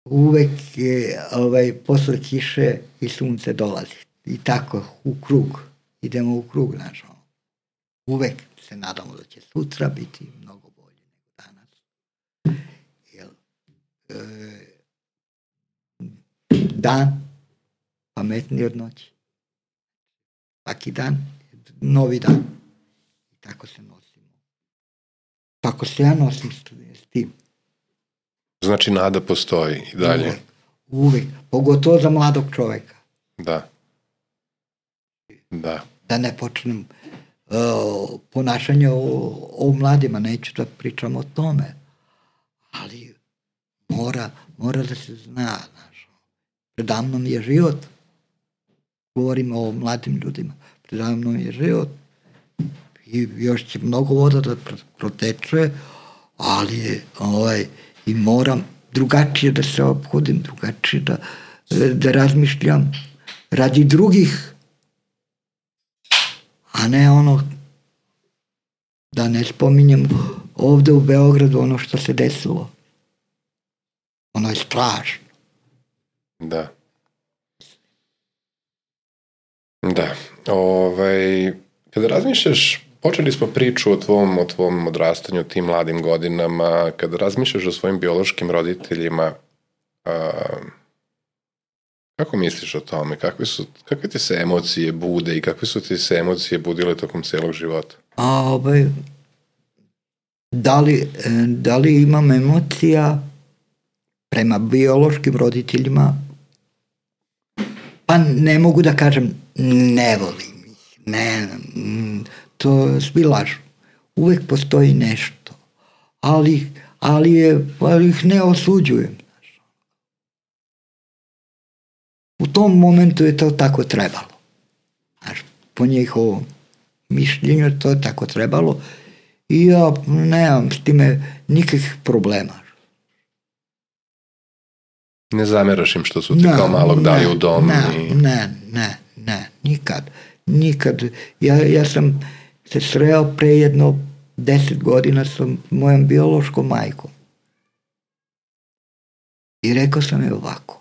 uvek je ovaj, posle kiše i sunce dolazi. I tako, u krug. Idemo u krug, znaš. ono. Uvek se nadamo da će sutra biti mnogo bolje nego danas. Jel, e, dan pametniji od noći. Svaki dan je novi dan. I tako se nosimo. Tako se ja nosim s s tim. Znači, nada postoji i dalje. Uvek, uvek. Pogotovo za mladog čoveka. Da. Da. Da ne počnem uh, ponašanje o, o mladima, neću da pričam o tome. Ali mora, mora da se zna, znaš. Predamnom je život. Govorimo o mladim ljudima. Predamnom je život. I još će mnogo voda da proteče, ali je, ovaj, i moram drugačije da se ophodim, drugačije da, da razmišljam radi drugih, a ne ono, da ne spominjem ovde u Beogradu ono što se desilo. Ono je strašno. Da. Da. Ovaj, kada razmišljaš, počeli smo priču o tvom, o tvom odrastanju, tim mladim godinama, kada razmišljaš o svojim biološkim roditeljima, a, kako misliš o tome? Kakve, su, kakve ti se emocije bude i kakve su ti se emocije budile tokom celog života? A ovaj, da li, da li imam emocija prema biološkim roditeljima? Pa ne mogu da kažem ne volim ih, ne, to svi lažu. Uvek postoji nešto, ali, ali, je, ali ih ne osuđujem. U tom momentu je to tako trebalo. Znaš, po njihovom mišljenju to je tako trebalo i ja nemam s time nikakvih problema. Ne zameraš im što su ti Ne, kao malog dali ne, u dom? Ne, i... ne, ne, ne, nikad. Nikad. Ja, ja sam se sreo pre jedno deset godina sa mojom biološkom majkom. I rekao sam je ovako.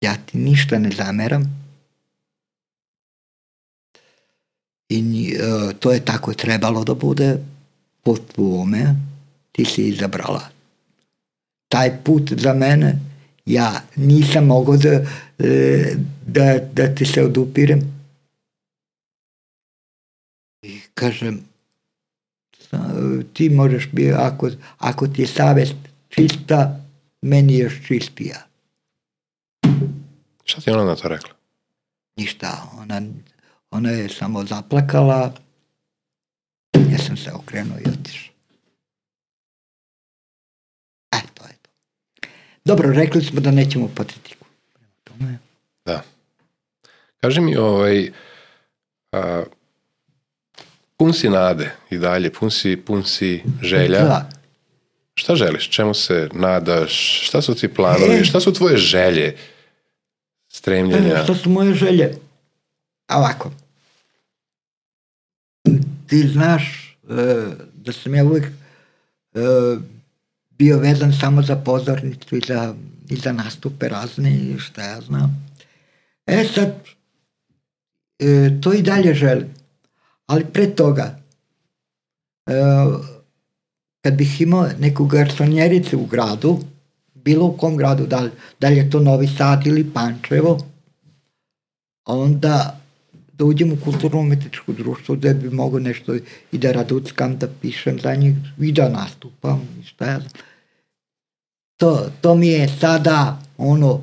Ja ti ništa ne zameram. I uh, to je tako trebalo da bude po tvome. Ti si izabrala taj put za mene. Ja nisam mogao da, da, da ti se odupirem. I kažem, ti možeš biti, ako, ako ti je savest čista, meni je još čistija. Šta ti ona na to rekla? Ništa, ona, ona je samo zaplakala, ja sam se okrenuo i otišao. E, to je Dobro, rekli smo da nećemo patetiku. Da. Kaži mi, ovaj, a, pun si nade i dalje, pun si, pun si želja. Da. Šta želiš? Čemu se nadaš? Šta su ti planovi? E, šta su tvoje želje? Stremljenja? Šta su moje želje? Ovako. Ti znaš uh, da sam ja uvijek uh, bio vezan samo za pozornicu i za, i za nastupe razne i šta ja znam. E sad, uh, to i dalje želim. Ali pre toga, uh, kad bih imao neku garsonjericu u gradu, bilo u kom gradu, da li, da li je to Novi Sad ili Pančevo, onda da uđem u kulturno-umetničko društvo gde bi mogo nešto i da raduckam, da pišem za njih i da nastupam i šta ja znam. To, to mi je sada ono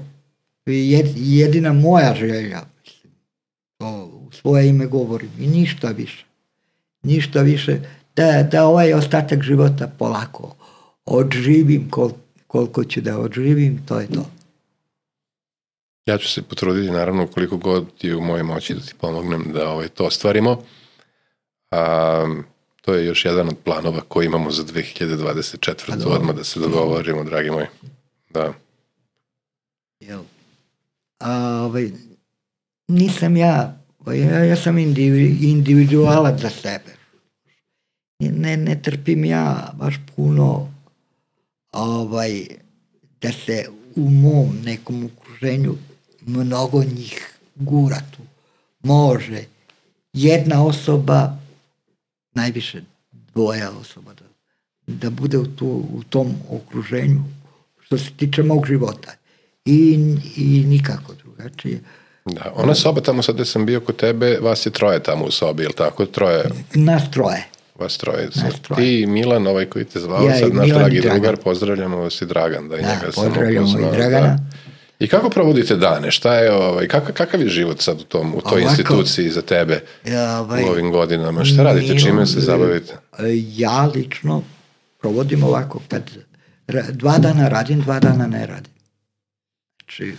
jedina moja želja, mislim. To u svoje ime govorim i ništa više. Ništa više. Da, da ovaj ostatak života polako odživim kol, koliko ću da odživim, to je to. Ja ću se potruditi, naravno, koliko god je u mojoj moći da ti pomognem da ovaj, to ostvarimo. A, to je još jedan od planova koji imamo za dve hiljade dvadeset četvrte. Odmah da se dogovorimo, dragi moji. Da. Jel? A, ovaj, nisam ja, ja, ja sam individualac za sebe. Ne, ne trpim ja baš puno ovaj, da se u mom nekom okruženju mnogo njih gura tu. Može jedna osoba, najviše dvoja osoba da, da bude u, tu, u tom okruženju što se tiče mog života. I, i nikako drugačije. Da, ona soba tamo sad gde sam bio kod tebe, vas je troje tamo u sobi, ili tako? Troje? Nas troje. Vas troje. Ti i Milan, ovaj koji te zvao, ja, sad naš Milan dragi drugar, pozdravljamo vas i Dragan. Da, i da njega pozdravljamo sam i Dragana. Da. I kako provodite dane? Šta je, ovaj, kakav, kakav je život sad u, tom, u toj Ovako, instituciji za tebe ja, ovaj, u ovim godinama? Šta radite? Čime se zabavite? Ja lično provodim ovako, kad dva dana radim, dva dana ne radim. Znači,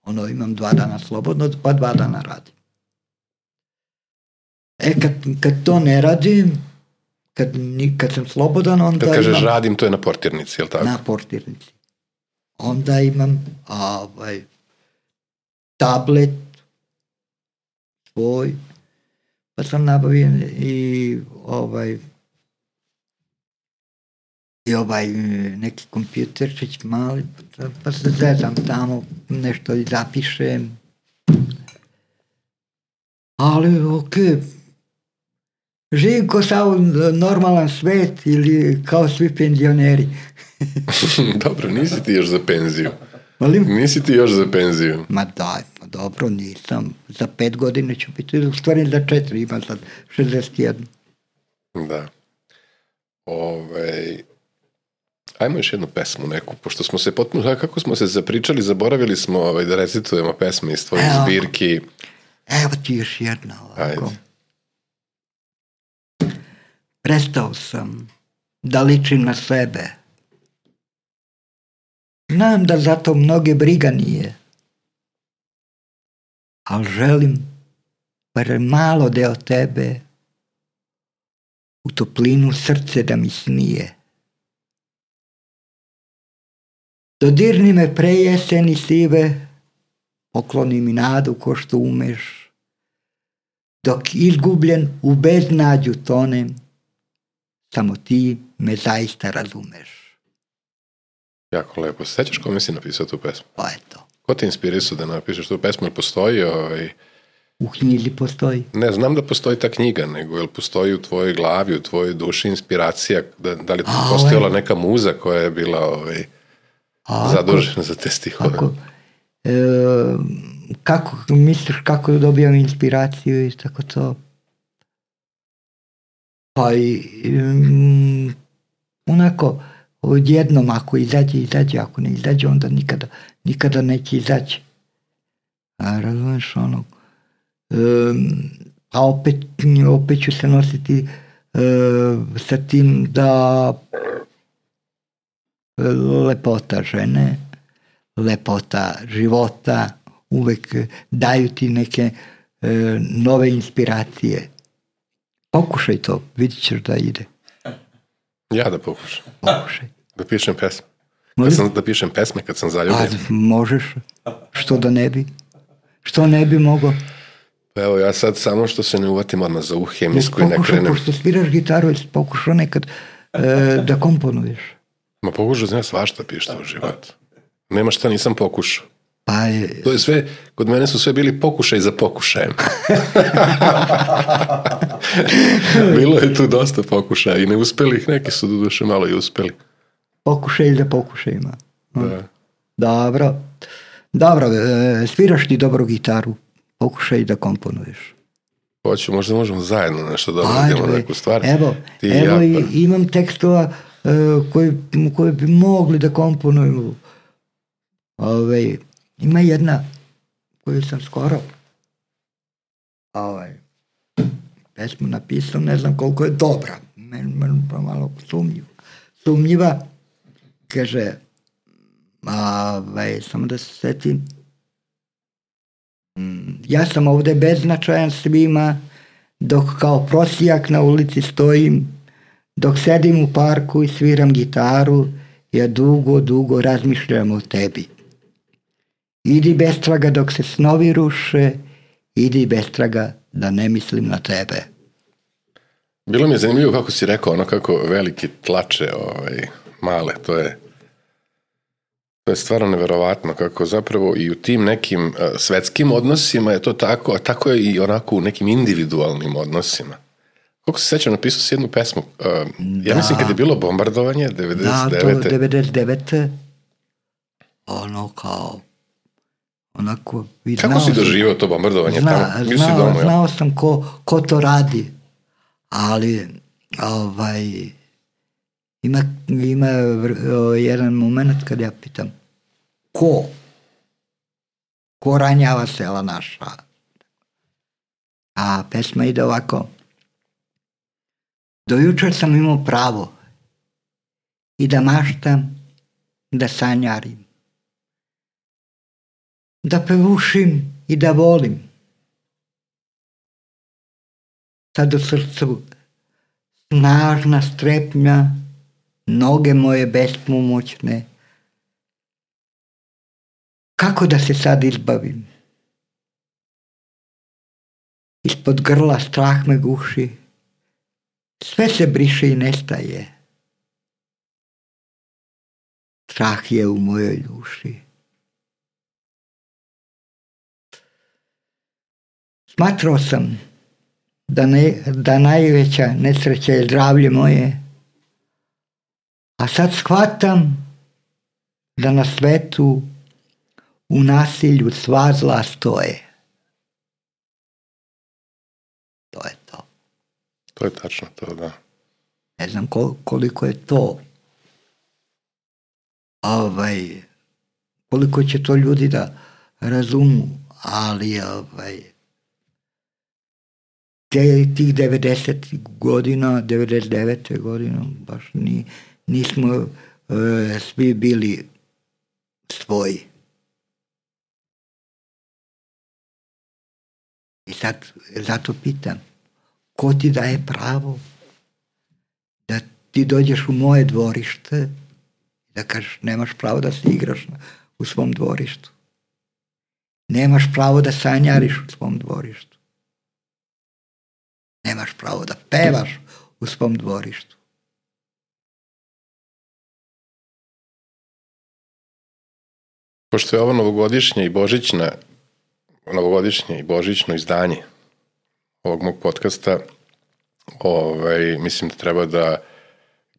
ono, imam dva dana slobodno, pa dva dana radim. E, kad, kad to ne radim, kad, kad sam slobodan, onda kad kažeš imam, radim, to je na portirnici, je li tako? Na portirnici. Onda imam ovaj, tablet svoj, pa sam nabavio i ovaj i ovaj neki kompjuterčić mali, pa se zezam tamo, nešto i zapišem. Ali okej, okay. Živim kao sav normalan svet ili kao svi penzioneri. Dobro, nisi ti još za penziju. Molim? Nisi ti još za penziju. Ma daj, pa dobro, nisam. Za pet godine ću biti, u stvari za četiri, imam sad šezdeset jedan. Da. Ove, ajmo još jednu pesmu neku, pošto smo se potpuno, kako smo se zapričali, zaboravili smo ovaj, da recitujemo pesme iz tvojih evo, zbirki. Evo ti još jedna ovako. Ajde. Prestao sam da ličim na sebe. Znam da zato mnoge briga nije. Ali želim bar malo deo tebe u toplinu srce da mi snije. Dodirni me pre jeseni sive, pokloni mi nadu ko što umeš. Dok izgubljen u beznađu tonem, samo ti me zaista razumeš. Jako lepo. Sećaš kome si napisao tu pesmu? Pa eto. Ko te inspirisao da napišeš tu pesmu? Ili postoji ovaj... U knjizi postoji. Ne, znam da postoji ta knjiga, nego jel postoji u tvojoj glavi, u tvojoj duši inspiracija, da, da li A, postojala ovaj... neka muza koja je bila ovaj, A, zadužena za te stihove? Ako, e, kako misliš kako dobijam inspiraciju i tako to? Pa i um, onako odjednom ako izađe, izađe, ako ne izađe, onda nikada, nikada neće izaći. A razumeš ono, um, a opet, opet ću se nositi uh, sa tim da lepota žene lepota života, uvek daju ti neke e, nove inspiracije. Pokušaj to, vidit ćeš da ide. Ja da pokušam. Pokušaj. Da pišem pesme. Kad sam, da pišem pesme kad sam zaljubljen. A, možeš. Što da ne bi? Što ne bi mogao? Pa evo, ja sad samo što se ne uvatim odmah za uh hemijsku i ne Pokušaj, krenem. pošto sviraš gitaru, pokušao nekad e, da komponuješ. Ma pokušao znam svašta pišta u životu. Nema šta nisam pokušao. Pa je... To je sve, kod mene su sve bili pokušaj za pokušajem. Bilo je tu dosta pokušaja i neuspelih, neki su doduše malo i uspeli. Pokušaj za pokušajima. Da. Dobro. Dobro, e, sviraš ti dobro gitaru, pokušaj da komponuješ. Hoću, možda možemo zajedno nešto da uradimo neku stvar. Evo, Ti evo ja, i, imam tekstova e, koji, koji bi mogli da komponuju. Ove, ima jedna koju sam skoro ovaj, pesmu napisao, ne znam koliko je dobra, meni men, malo sumnjiva. Sumnjiva, kaže, ovaj, samo da se setim, ja sam ovde beznačajan svima, dok kao prosijak na ulici stojim, dok sedim u parku i sviram gitaru, ja dugo, dugo razmišljam o tebi. Idi bez traga dok se snovi ruše, idi bez traga da ne mislim na tebe. bilo mi je zanimljivo kako si rekao, ono kako veliki tlače ovaj, male, to je to je stvarno neverovatno kako zapravo i u tim nekim uh, svetskim odnosima je to tako, a tako je i onako u nekim individualnim odnosima. Koliko se sećam, napisao si jednu pesmu, uh, ja mislim kad je bilo bombardovanje devedeset devete. Da, to devedeset devete ono kao onako... Kako si doživio to bombardovanje zna, tamo? Znao, si domu, znao sam ko, ko to radi, ali ovaj, ima, ima jedan moment kad ja pitam ko? Ko ranjava sela naša? A pesma ide ovako. Do jučer sam imao pravo i da maštam, da sanjarim, da pevušim i da volim. Sad u srcu snažna strepnja, noge moje bespomoćne. Kako da se sad izbavim? Ispod grla strah me guši, sve se briše i nestaje. Strah je u mojoj duši. Smatrao sam da, ne, da najveća nesreća je zdravlje moje, a sad shvatam da na svetu u nasilju sva zla stoje. To je to. To je tačno to, da. Ne znam koliko je to, ovaj, koliko će to ljudi da razumu, ali ovaj, te, tih devedesetih godina, devedeset devete godina, baš ni, nismo e, svi bili svoji. I sad, zato pitam, ko ti daje pravo da ti dođeš u moje dvorište i da kažeš nemaš pravo da se igraš u svom dvorištu. Nemaš pravo da sanjariš u svom dvorištu. Nemaš pravo da pevaš u svom dvorištu. Pošto je ovo novogodišnje i božićna, novogodišnje i božićno izdanje ovog mog podcasta, ovaj, mislim da treba da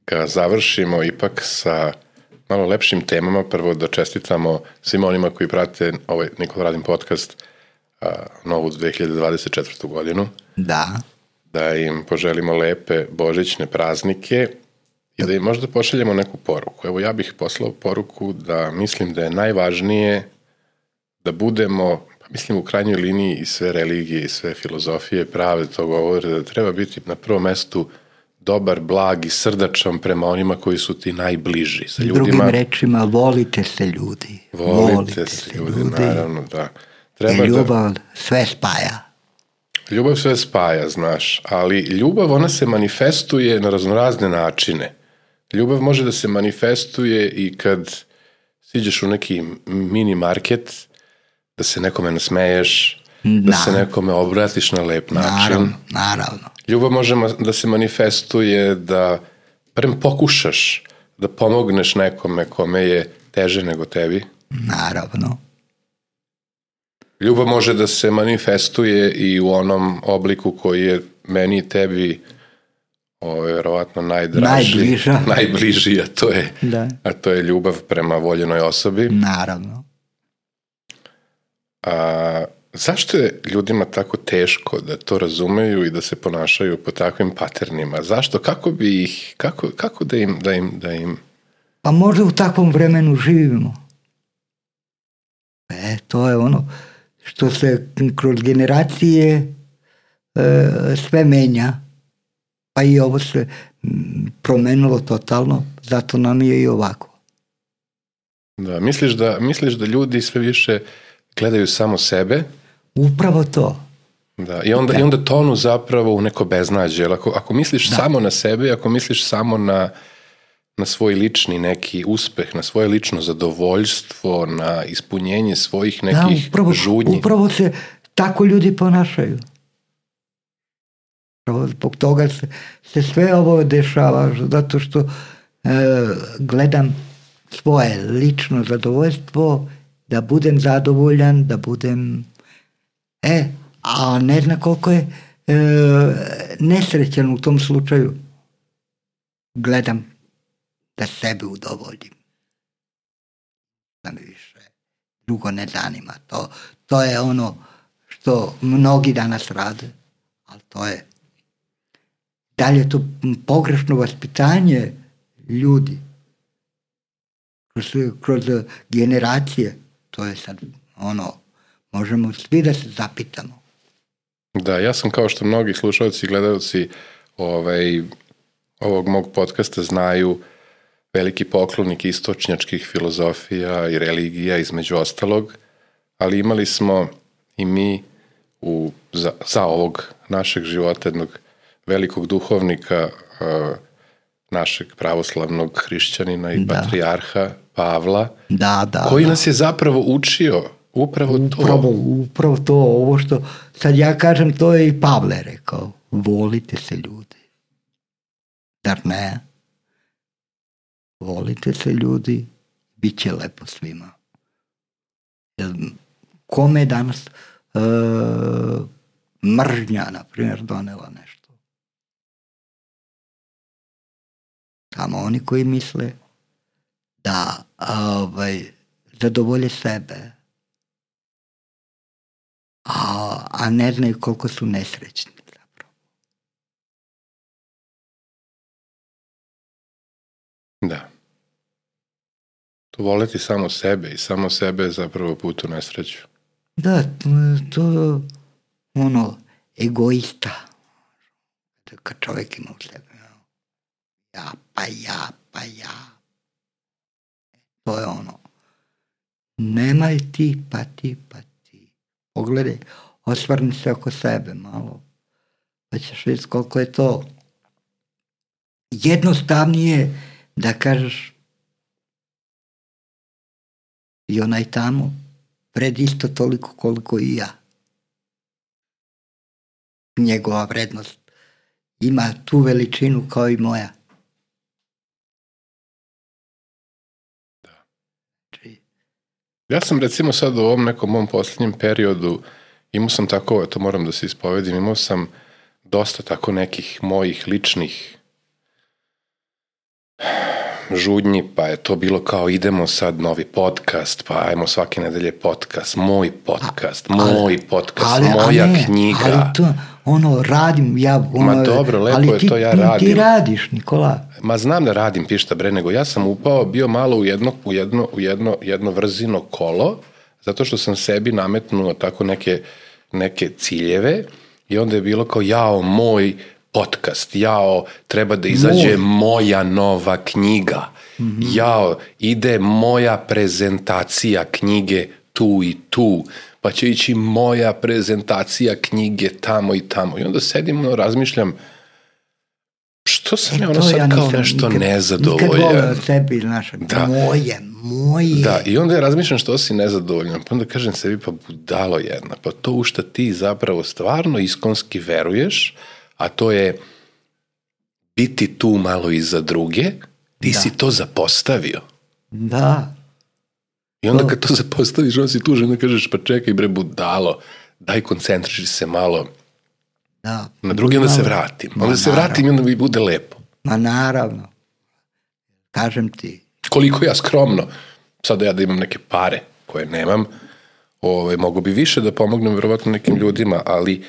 ga završimo ipak sa malo lepšim temama. Prvo da čestitamo svima onima koji prate ovaj Nikola Radin podcast a, novu dve hiljade dvadeset četvrtu godinu. Da. Da im poželimo lepe božićne praznike i da im možda pošaljemo neku poruku. Evo ja bih poslao poruku da mislim da je najvažnije da budemo, pa mislim u krajnjoj liniji i sve religije i sve filozofije prave to govore da treba biti na prvom mestu dobar, blag i srdačan prema onima koji su ti najbliži. Sa ljudima, drugim rečima, volite se ljudi. Volite, volite se ljudi, ljudi, naravno, da. Treba I ljubav da, sve spaja. Ljubav sve spaja, znaš, ali ljubav, ona se manifestuje na raznorazne načine. Ljubav može da se manifestuje i kad siđeš u neki mini market, da se nekome nasmeješ, da, da se nekome obratiš na lep način. Naravno, naravno. Ljubav može da se manifestuje da prem pokušaš da pomogneš nekome kome je teže nego tebi. Naravno. Ljubav može da se manifestuje i u onom obliku koji je meni i tebi ovo je verovatno najdraži, najbliža, najbliži, a to je, da. a to je ljubav prema voljenoj osobi. Naravno. A zašto je ljudima tako teško da to razumeju i da se ponašaju po takvim paternima? Zašto? Kako bi ih, kako, kako da im, da im, da im... Pa možda u takvom vremenu živimo. E, to je ono što se kroz generacije e, sve menja. Pa i ovo se promenilo totalno, zato nam je i ovako. Da, misliš da, misliš da ljudi sve više gledaju samo sebe? Upravo to. Da, i onda, i onda tonu zapravo u neko beznađe. Ako, ako misliš da. samo na sebe, ako misliš samo na, na svoj lični neki uspeh, na svoje lično zadovoljstvo, na ispunjenje svojih nekih da, upravo, žudnji. Upravo se tako ljudi ponašaju. Zbog toga se, se sve ovo dešava, zato što e, gledam svoje lično zadovoljstvo, da budem zadovoljan, da budem... E, a ne zna koliko je e, nesrećan u tom slučaju. Gledam da sebe udovoljim. Da mi više drugo ne zanima. To, to je ono što mnogi danas rade, ali to je da li je to pogrešno vaspitanje ljudi kroz, kroz generacije, to je sad ono, možemo svi da se zapitamo. Da, ja sam kao što mnogi slušalci i gledalci ovaj, ovog mog podcasta znaju veliki poklonik istočnjačkih filozofija i religija između ostalog, ali imali smo i mi u, za, za ovog našeg života jednog velikog duhovnika uh, našeg pravoslavnog hrišćanina i da. patrijarha Pavla, da, da, koji da. nas je zapravo učio upravo, upravo to. Upravo to, ovo što sad ja kažem, to je i Pavle rekao, volite se ljudi. Dar ne? Volite se ljudi, bit će lepo svima. Jer kome danas uh, mržnja, na primjer, donela nešto? Samo oni koji misle da ovaj, zadovolje sebe, a, a ne znaju koliko su nesrećni zapravo. Da. To voleti samo sebe i samo sebe je zapravo put u nesreću. Da, to ono, egoista. Kad čovjek ima u sebi. Ja, pa ja, pa ja. To je ono. Nemaj ti, pa ti, pa ti. Pogledaj, osvrni se oko sebe malo. Pa ćeš vidjeti koliko je to jednostavnije da kažeš i onaj tamo vred isto toliko koliko i ja. Njegova vrednost ima tu veličinu kao i moja. Ja sam recimo sad u ovom nekom mom posljednjem periodu imao sam tako, to moram da se ispovedim, imao sam dosta tako nekih mojih ličnih žudnji, pa je to bilo kao idemo sad novi podcast, pa ajmo svake nedelje podcast, moj podcast, ali, moj podcast, ali, moja ne, knjiga. Ali to, ono, radim, ja... Ono, Ma dobro, lepo je ti, to, ja radim. Ti radiš, Nikola. Ma znam da radim, pišta bre, nego ja sam upao, bio malo u jedno, u jedno, u jedno, jedno vrzino kolo, zato što sam sebi nametnuo tako neke, neke ciljeve i onda je bilo kao, jao, moj podcast, jao, treba da izađe Moj. moja nova knjiga, mm-hmm. jao, ide moja prezentacija knjige tu i tu, pa će ići moja prezentacija knjige tamo i tamo. I onda sedim, ono, razmišljam, što sam e, ja ono sad ja kao nešto nikad, nezadovoljan. Nikad volio sebi, znaš, da. moje, moje. Da, i onda ja razmišljam što si nezadovoljan, pa onda kažem sebi, pa budalo jedna, pa to u šta ti zapravo stvarno iskonski veruješ, a to je biti tu malo i za druge, ti da. si to zapostavio. Da. I onda kad to zapostaviš, onda si tužen, onda kažeš, pa čekaj bre budalo, daj koncentriši se malo da, na drugi, onda se vratim. Onda se vratim i onda mi bude lepo. Ma naravno. Kažem ti. Koliko ja skromno, sada ja da imam neke pare koje nemam, ove, mogu bi više da pomognem verovatno nekim ljudima, ali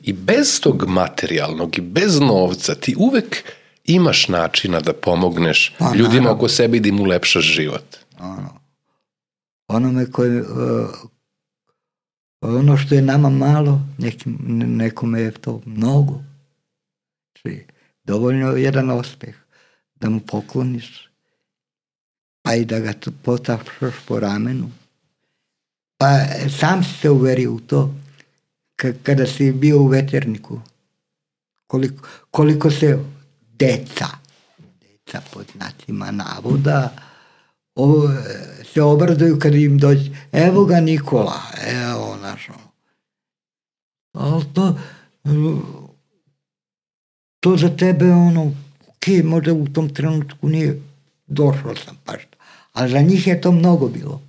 i bez tog materijalnog i bez novca ti uvek imaš načina da pomogneš pa, ljudima naravno. oko sebe i da im ulepšaš život. Ono. Onome koje, uh, ono što je nama malo, nekim, nekome je to mnogo. Znači, dovoljno je jedan uspeh da mu pokloniš, pa i da ga potapšaš po ramenu. Pa sam si se uverio u to k- kada si bio u veterniku. Koliko, koliko se deca, deca pod znacima navoda, o, se obraduju kad im dođe, evo ga Nikola, evo našo. Ali to, to za tebe ono, ok, možda u tom trenutku nije došao sam baš, ali za njih je to mnogo bilo.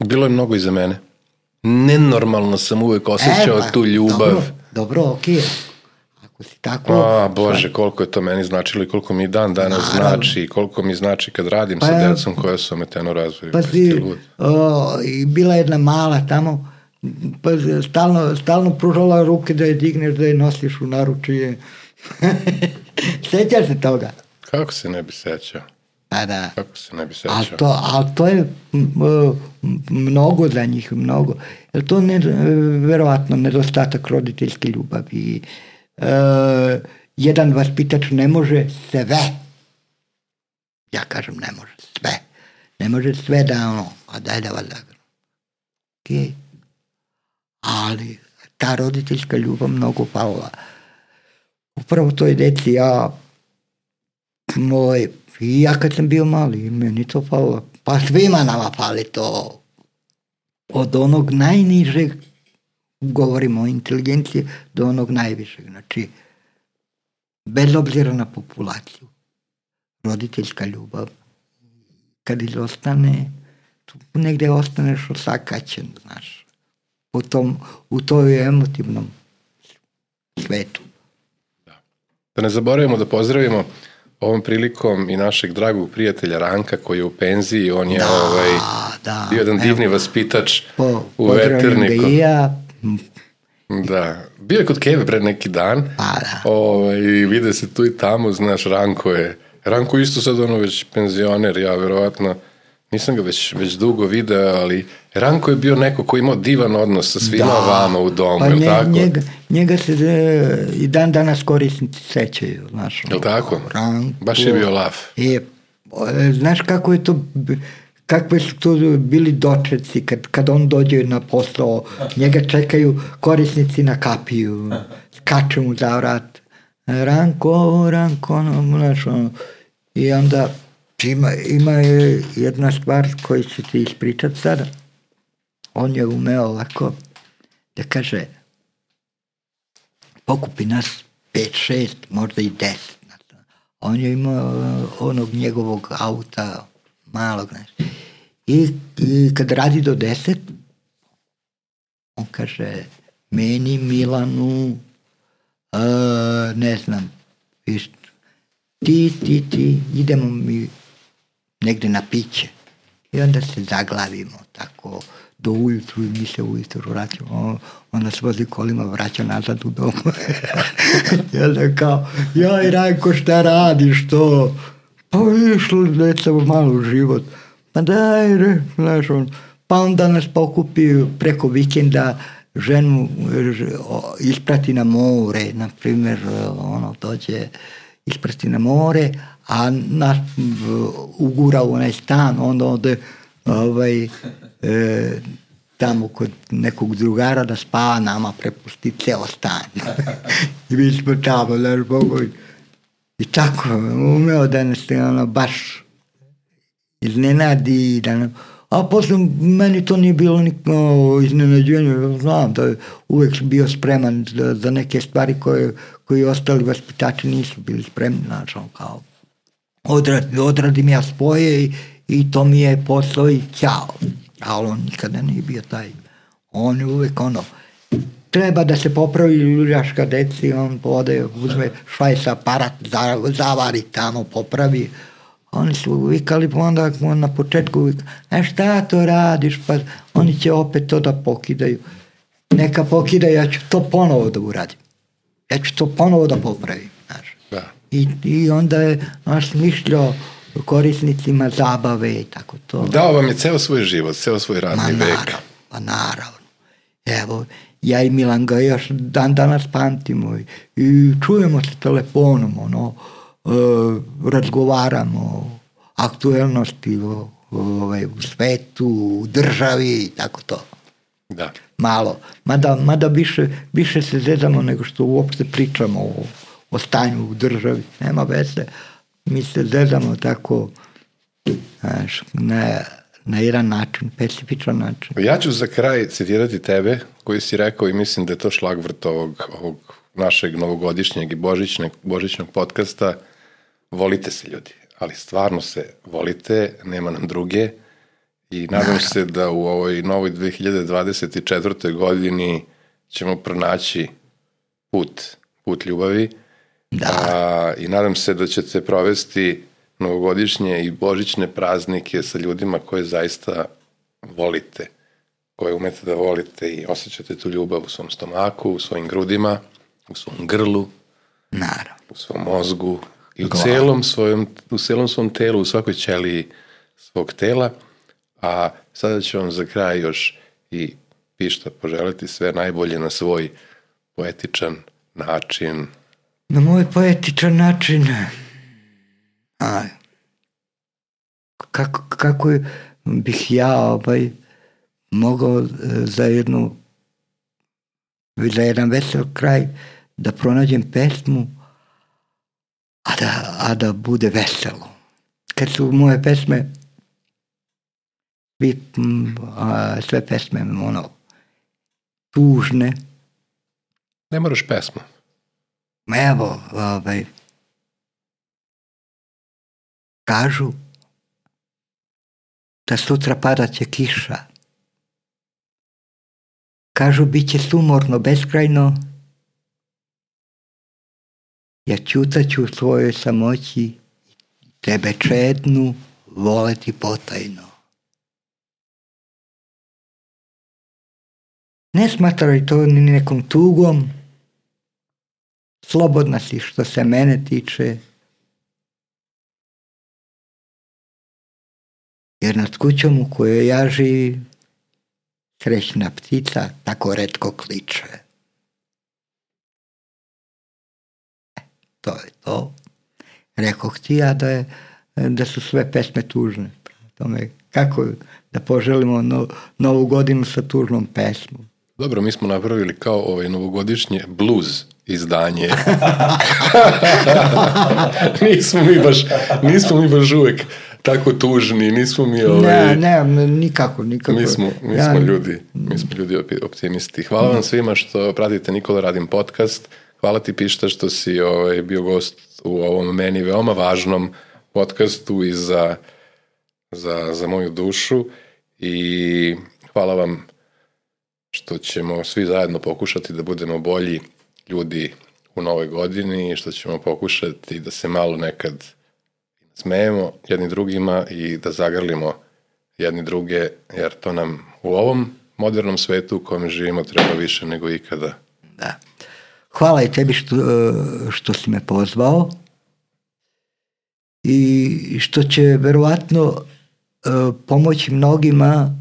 Bilo je mnogo i za mene. Nenormalno sam uvek osjećao e, pa, tu ljubav. Dobro, dobro, ok. Ako si tako... A, Bože, koliko je to meni značilo i koliko mi dan danas naravno. znači i koliko mi znači kad radim pa, sa decom koja su ometeno razvoju. Pa si, o, i bila jedna mala tamo, pa stalno, stalno pružala ruke da je digneš, da je nosiš u naručje. Sećaš se toga? Kako se ne bi sećao? Pa da. Kako se ne bi sećao? Ali to, ali to je mnogo za njih, mnogo. Jer to je verovatno nedostatak roditeljske ljubavi. Uh, jedan vaspitač ne može sve, ja kažem ne može sve, ne može sve da ono, a daj da vas zagrano. Okay. Ali ta roditeljska ljubav mnogo falila. Upravo toj deci, ja moj, i ja kad sam bio mali, meni to falilo, pa svima nama fali to, od onog najnižeg, govorimo o inteligenciji, do onog najvišeg. Znači, bez obzira na populaciju, roditeljska ljubav, kad izostane, tu negde ostaneš osakaćen, znaš, u tom, u toj emotivnom svetu. Da. Da ne zaboravimo da pozdravimo ovom prilikom i našeg dragog prijatelja Ranka koji je u penziji, on je da, ovaj, da, bio jedan divni evo, vaspitač po, u veterniku. Ja. Da, bio je kod Keve pred neki dan, pa, da. ovaj, i vide se tu i tamo, znaš, Ranko je, Ranko isto sad ono već penzioner, ja verovatno, nisam ga već, već dugo video, ali Ranko je bio neko koji imao divan odnos sa svima da. vama u domu, pa je li tako? Njega, njega se de, i dan danas korisnici sećaju, znaš. Je li tako? Ranko. Baš je bio lav. Je, znaš kako je to, kakve su to bili dočeci kad, kad on dođe na posao, njega čekaju korisnici na kapiju, skače mu za vrat. Ranko, Ranko, ono, znaš, ono. I onda ima, ima jedna stvar koju ću ti ispričati sada. On je umeo ovako da kaže, pokupi nas pet, šest, možda i deset. On je imao onog njegovog auta, malog, znaš. I, i kad radi do deset, on kaže, meni, Milanu, uh, ne znam, viš, ti, ti, ti, idemo mi negde na piće. I onda se zaglavimo tako do ujutru i mi se ujutru vraćamo. On, on nas vozi kolima, vraća nazad u dom. I onda kao, joj Rajko, šta radiš to? Pa išlo deca malo u život. Pa daj, re, znaš on, pa pa onda nas pokupi preko vikenda, ženu isprati na more, na primjer, ono, dođe isprati na more, a nas ugura u onaj stan, onda ode ovaj, e, tamo kod nekog drugara da spava, nama prepusti ceo stan. I mi smo tamo, znaš, Bogu. I tako, umeo da nas ono, baš iznenadi, da nam, a posle meni to nije bilo nikako iznenađenje, znam da je uvek bio spreman za, za neke stvari koje, koji ostali vaspitači nisu bili spremni, znači on kao odradim, odradim ja svoje i, i to mi je posao i ćao. Ali on nikada nije bio taj. On je uvek ono, treba da se popravi ljuljaška deci, on ode, uzme švajs aparat, zavari tamo, popravi. Oni su vikali, pa onda na početku vikali, e šta to radiš, pa oni će opet to da pokidaju. Neka pokidaju, ja ću to ponovo da uradim. Ja ću to ponovo da popravim. Znaš. Da. I, I onda je naš smišljao korisnicima zabave i tako to. Dao vam je ceo svoj život, ceo svoj radni Ma, vek. Naravno, pa naravno. Evo, ja i Milan ga još dan danas pamtimo i, i čujemo se telefonom, ono, e, razgovaramo o aktuelnosti o, o, u svetu, u državi i tako to. Da. Malo. Mada, mada više, više se zezamo nego što uopšte pričamo o, o stanju u državi. Nema veze. Mi se zezamo tako, znaš, na, na jedan način, specifičan način. Ja ću za kraj citirati tebe, koji si rekao i mislim da je to šlagvrt ovog, ovog našeg novogodišnjeg i božićnog, božićnog podcasta. Volite se, ljudi, ali stvarno se volite, nema nam druge i nadam Naravno. se da u ovoj novoj dve hiljade dvadeset četvrtoj godini ćemo pronaći put, put ljubavi. Da. A, i nadam se da ćete provesti novogodišnje i božićne praznike sa ljudima koje zaista volite, koje umete da volite i osjećate tu ljubav u svom stomaku, u svojim grudima, u svom grlu, Naravno. u svom mozgu i u celom, svojom, u celom svom telu, u svakoj ćeliji svog tela. A sada ću vam za kraj još i pišta poželiti sve najbolje na svoj poetičan način. Na moj poetičan način, a, kako, kako bih ja ovaj, mogao za jednu, za jedan vesel kraj da pronađem pesmu, a da, a da bude veselo. Kad su moje pesme, svi, a, sve pesme, ono, tužne. Ne moraš pesmu. Evo, ovaj, kažu da sutra padat će kiša. Kažu bit će sumorno, beskrajno. Ja ćutaću u svojoj samoći, tebe čednu voleti potajno. Ne smatraj to ni nekom tugom, slobodna si što se mene tiče, jer nad kućom u kojoj ja živim srećna ptica tako retko kliče. E, to je to. Rekoh ti ja da, je, da su sve pesme tužne. Tome, kako da poželimo no, novu godinu sa tužnom pesmom? Dobro, mi smo napravili kao ovaj novogodišnje blues izdanje. nismo mi baš, nismo mi baš uvek tako tužni, nismo mi ovaj... Ne, ne, nikako, nikako. Mi smo, mi ja... smo ljudi, mi smo ljudi optimisti. Hvala vam svima što pratite Nikola Radim podcast. Hvala ti, Pišta, što si ovaj, bio gost u ovom meni veoma važnom podcastu i za, za, za moju dušu. I hvala vam što ćemo svi zajedno pokušati da budemo bolji ljudi u novoj godini i što ćemo pokušati da se malo nekad smejemo jedni drugima i da zagrlimo jedni druge, jer to nam u ovom modernom svetu u kojem živimo treba više nego ikada. Da. Hvala i tebi što, što si me pozvao i što će verovatno pomoći mnogima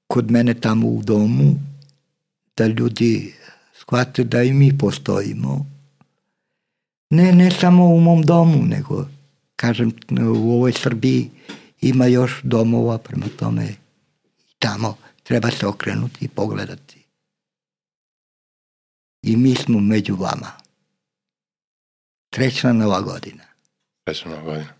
kod mene tamo u domu, da ljudi shvate da i mi postojimo. Ne, ne samo u mom domu, nego, kažem, u ovoj Srbiji ima još domova, prema tome tamo treba se okrenuti i pogledati. I mi smo među vama. Srećna Nova godina. Srećna Nova godina.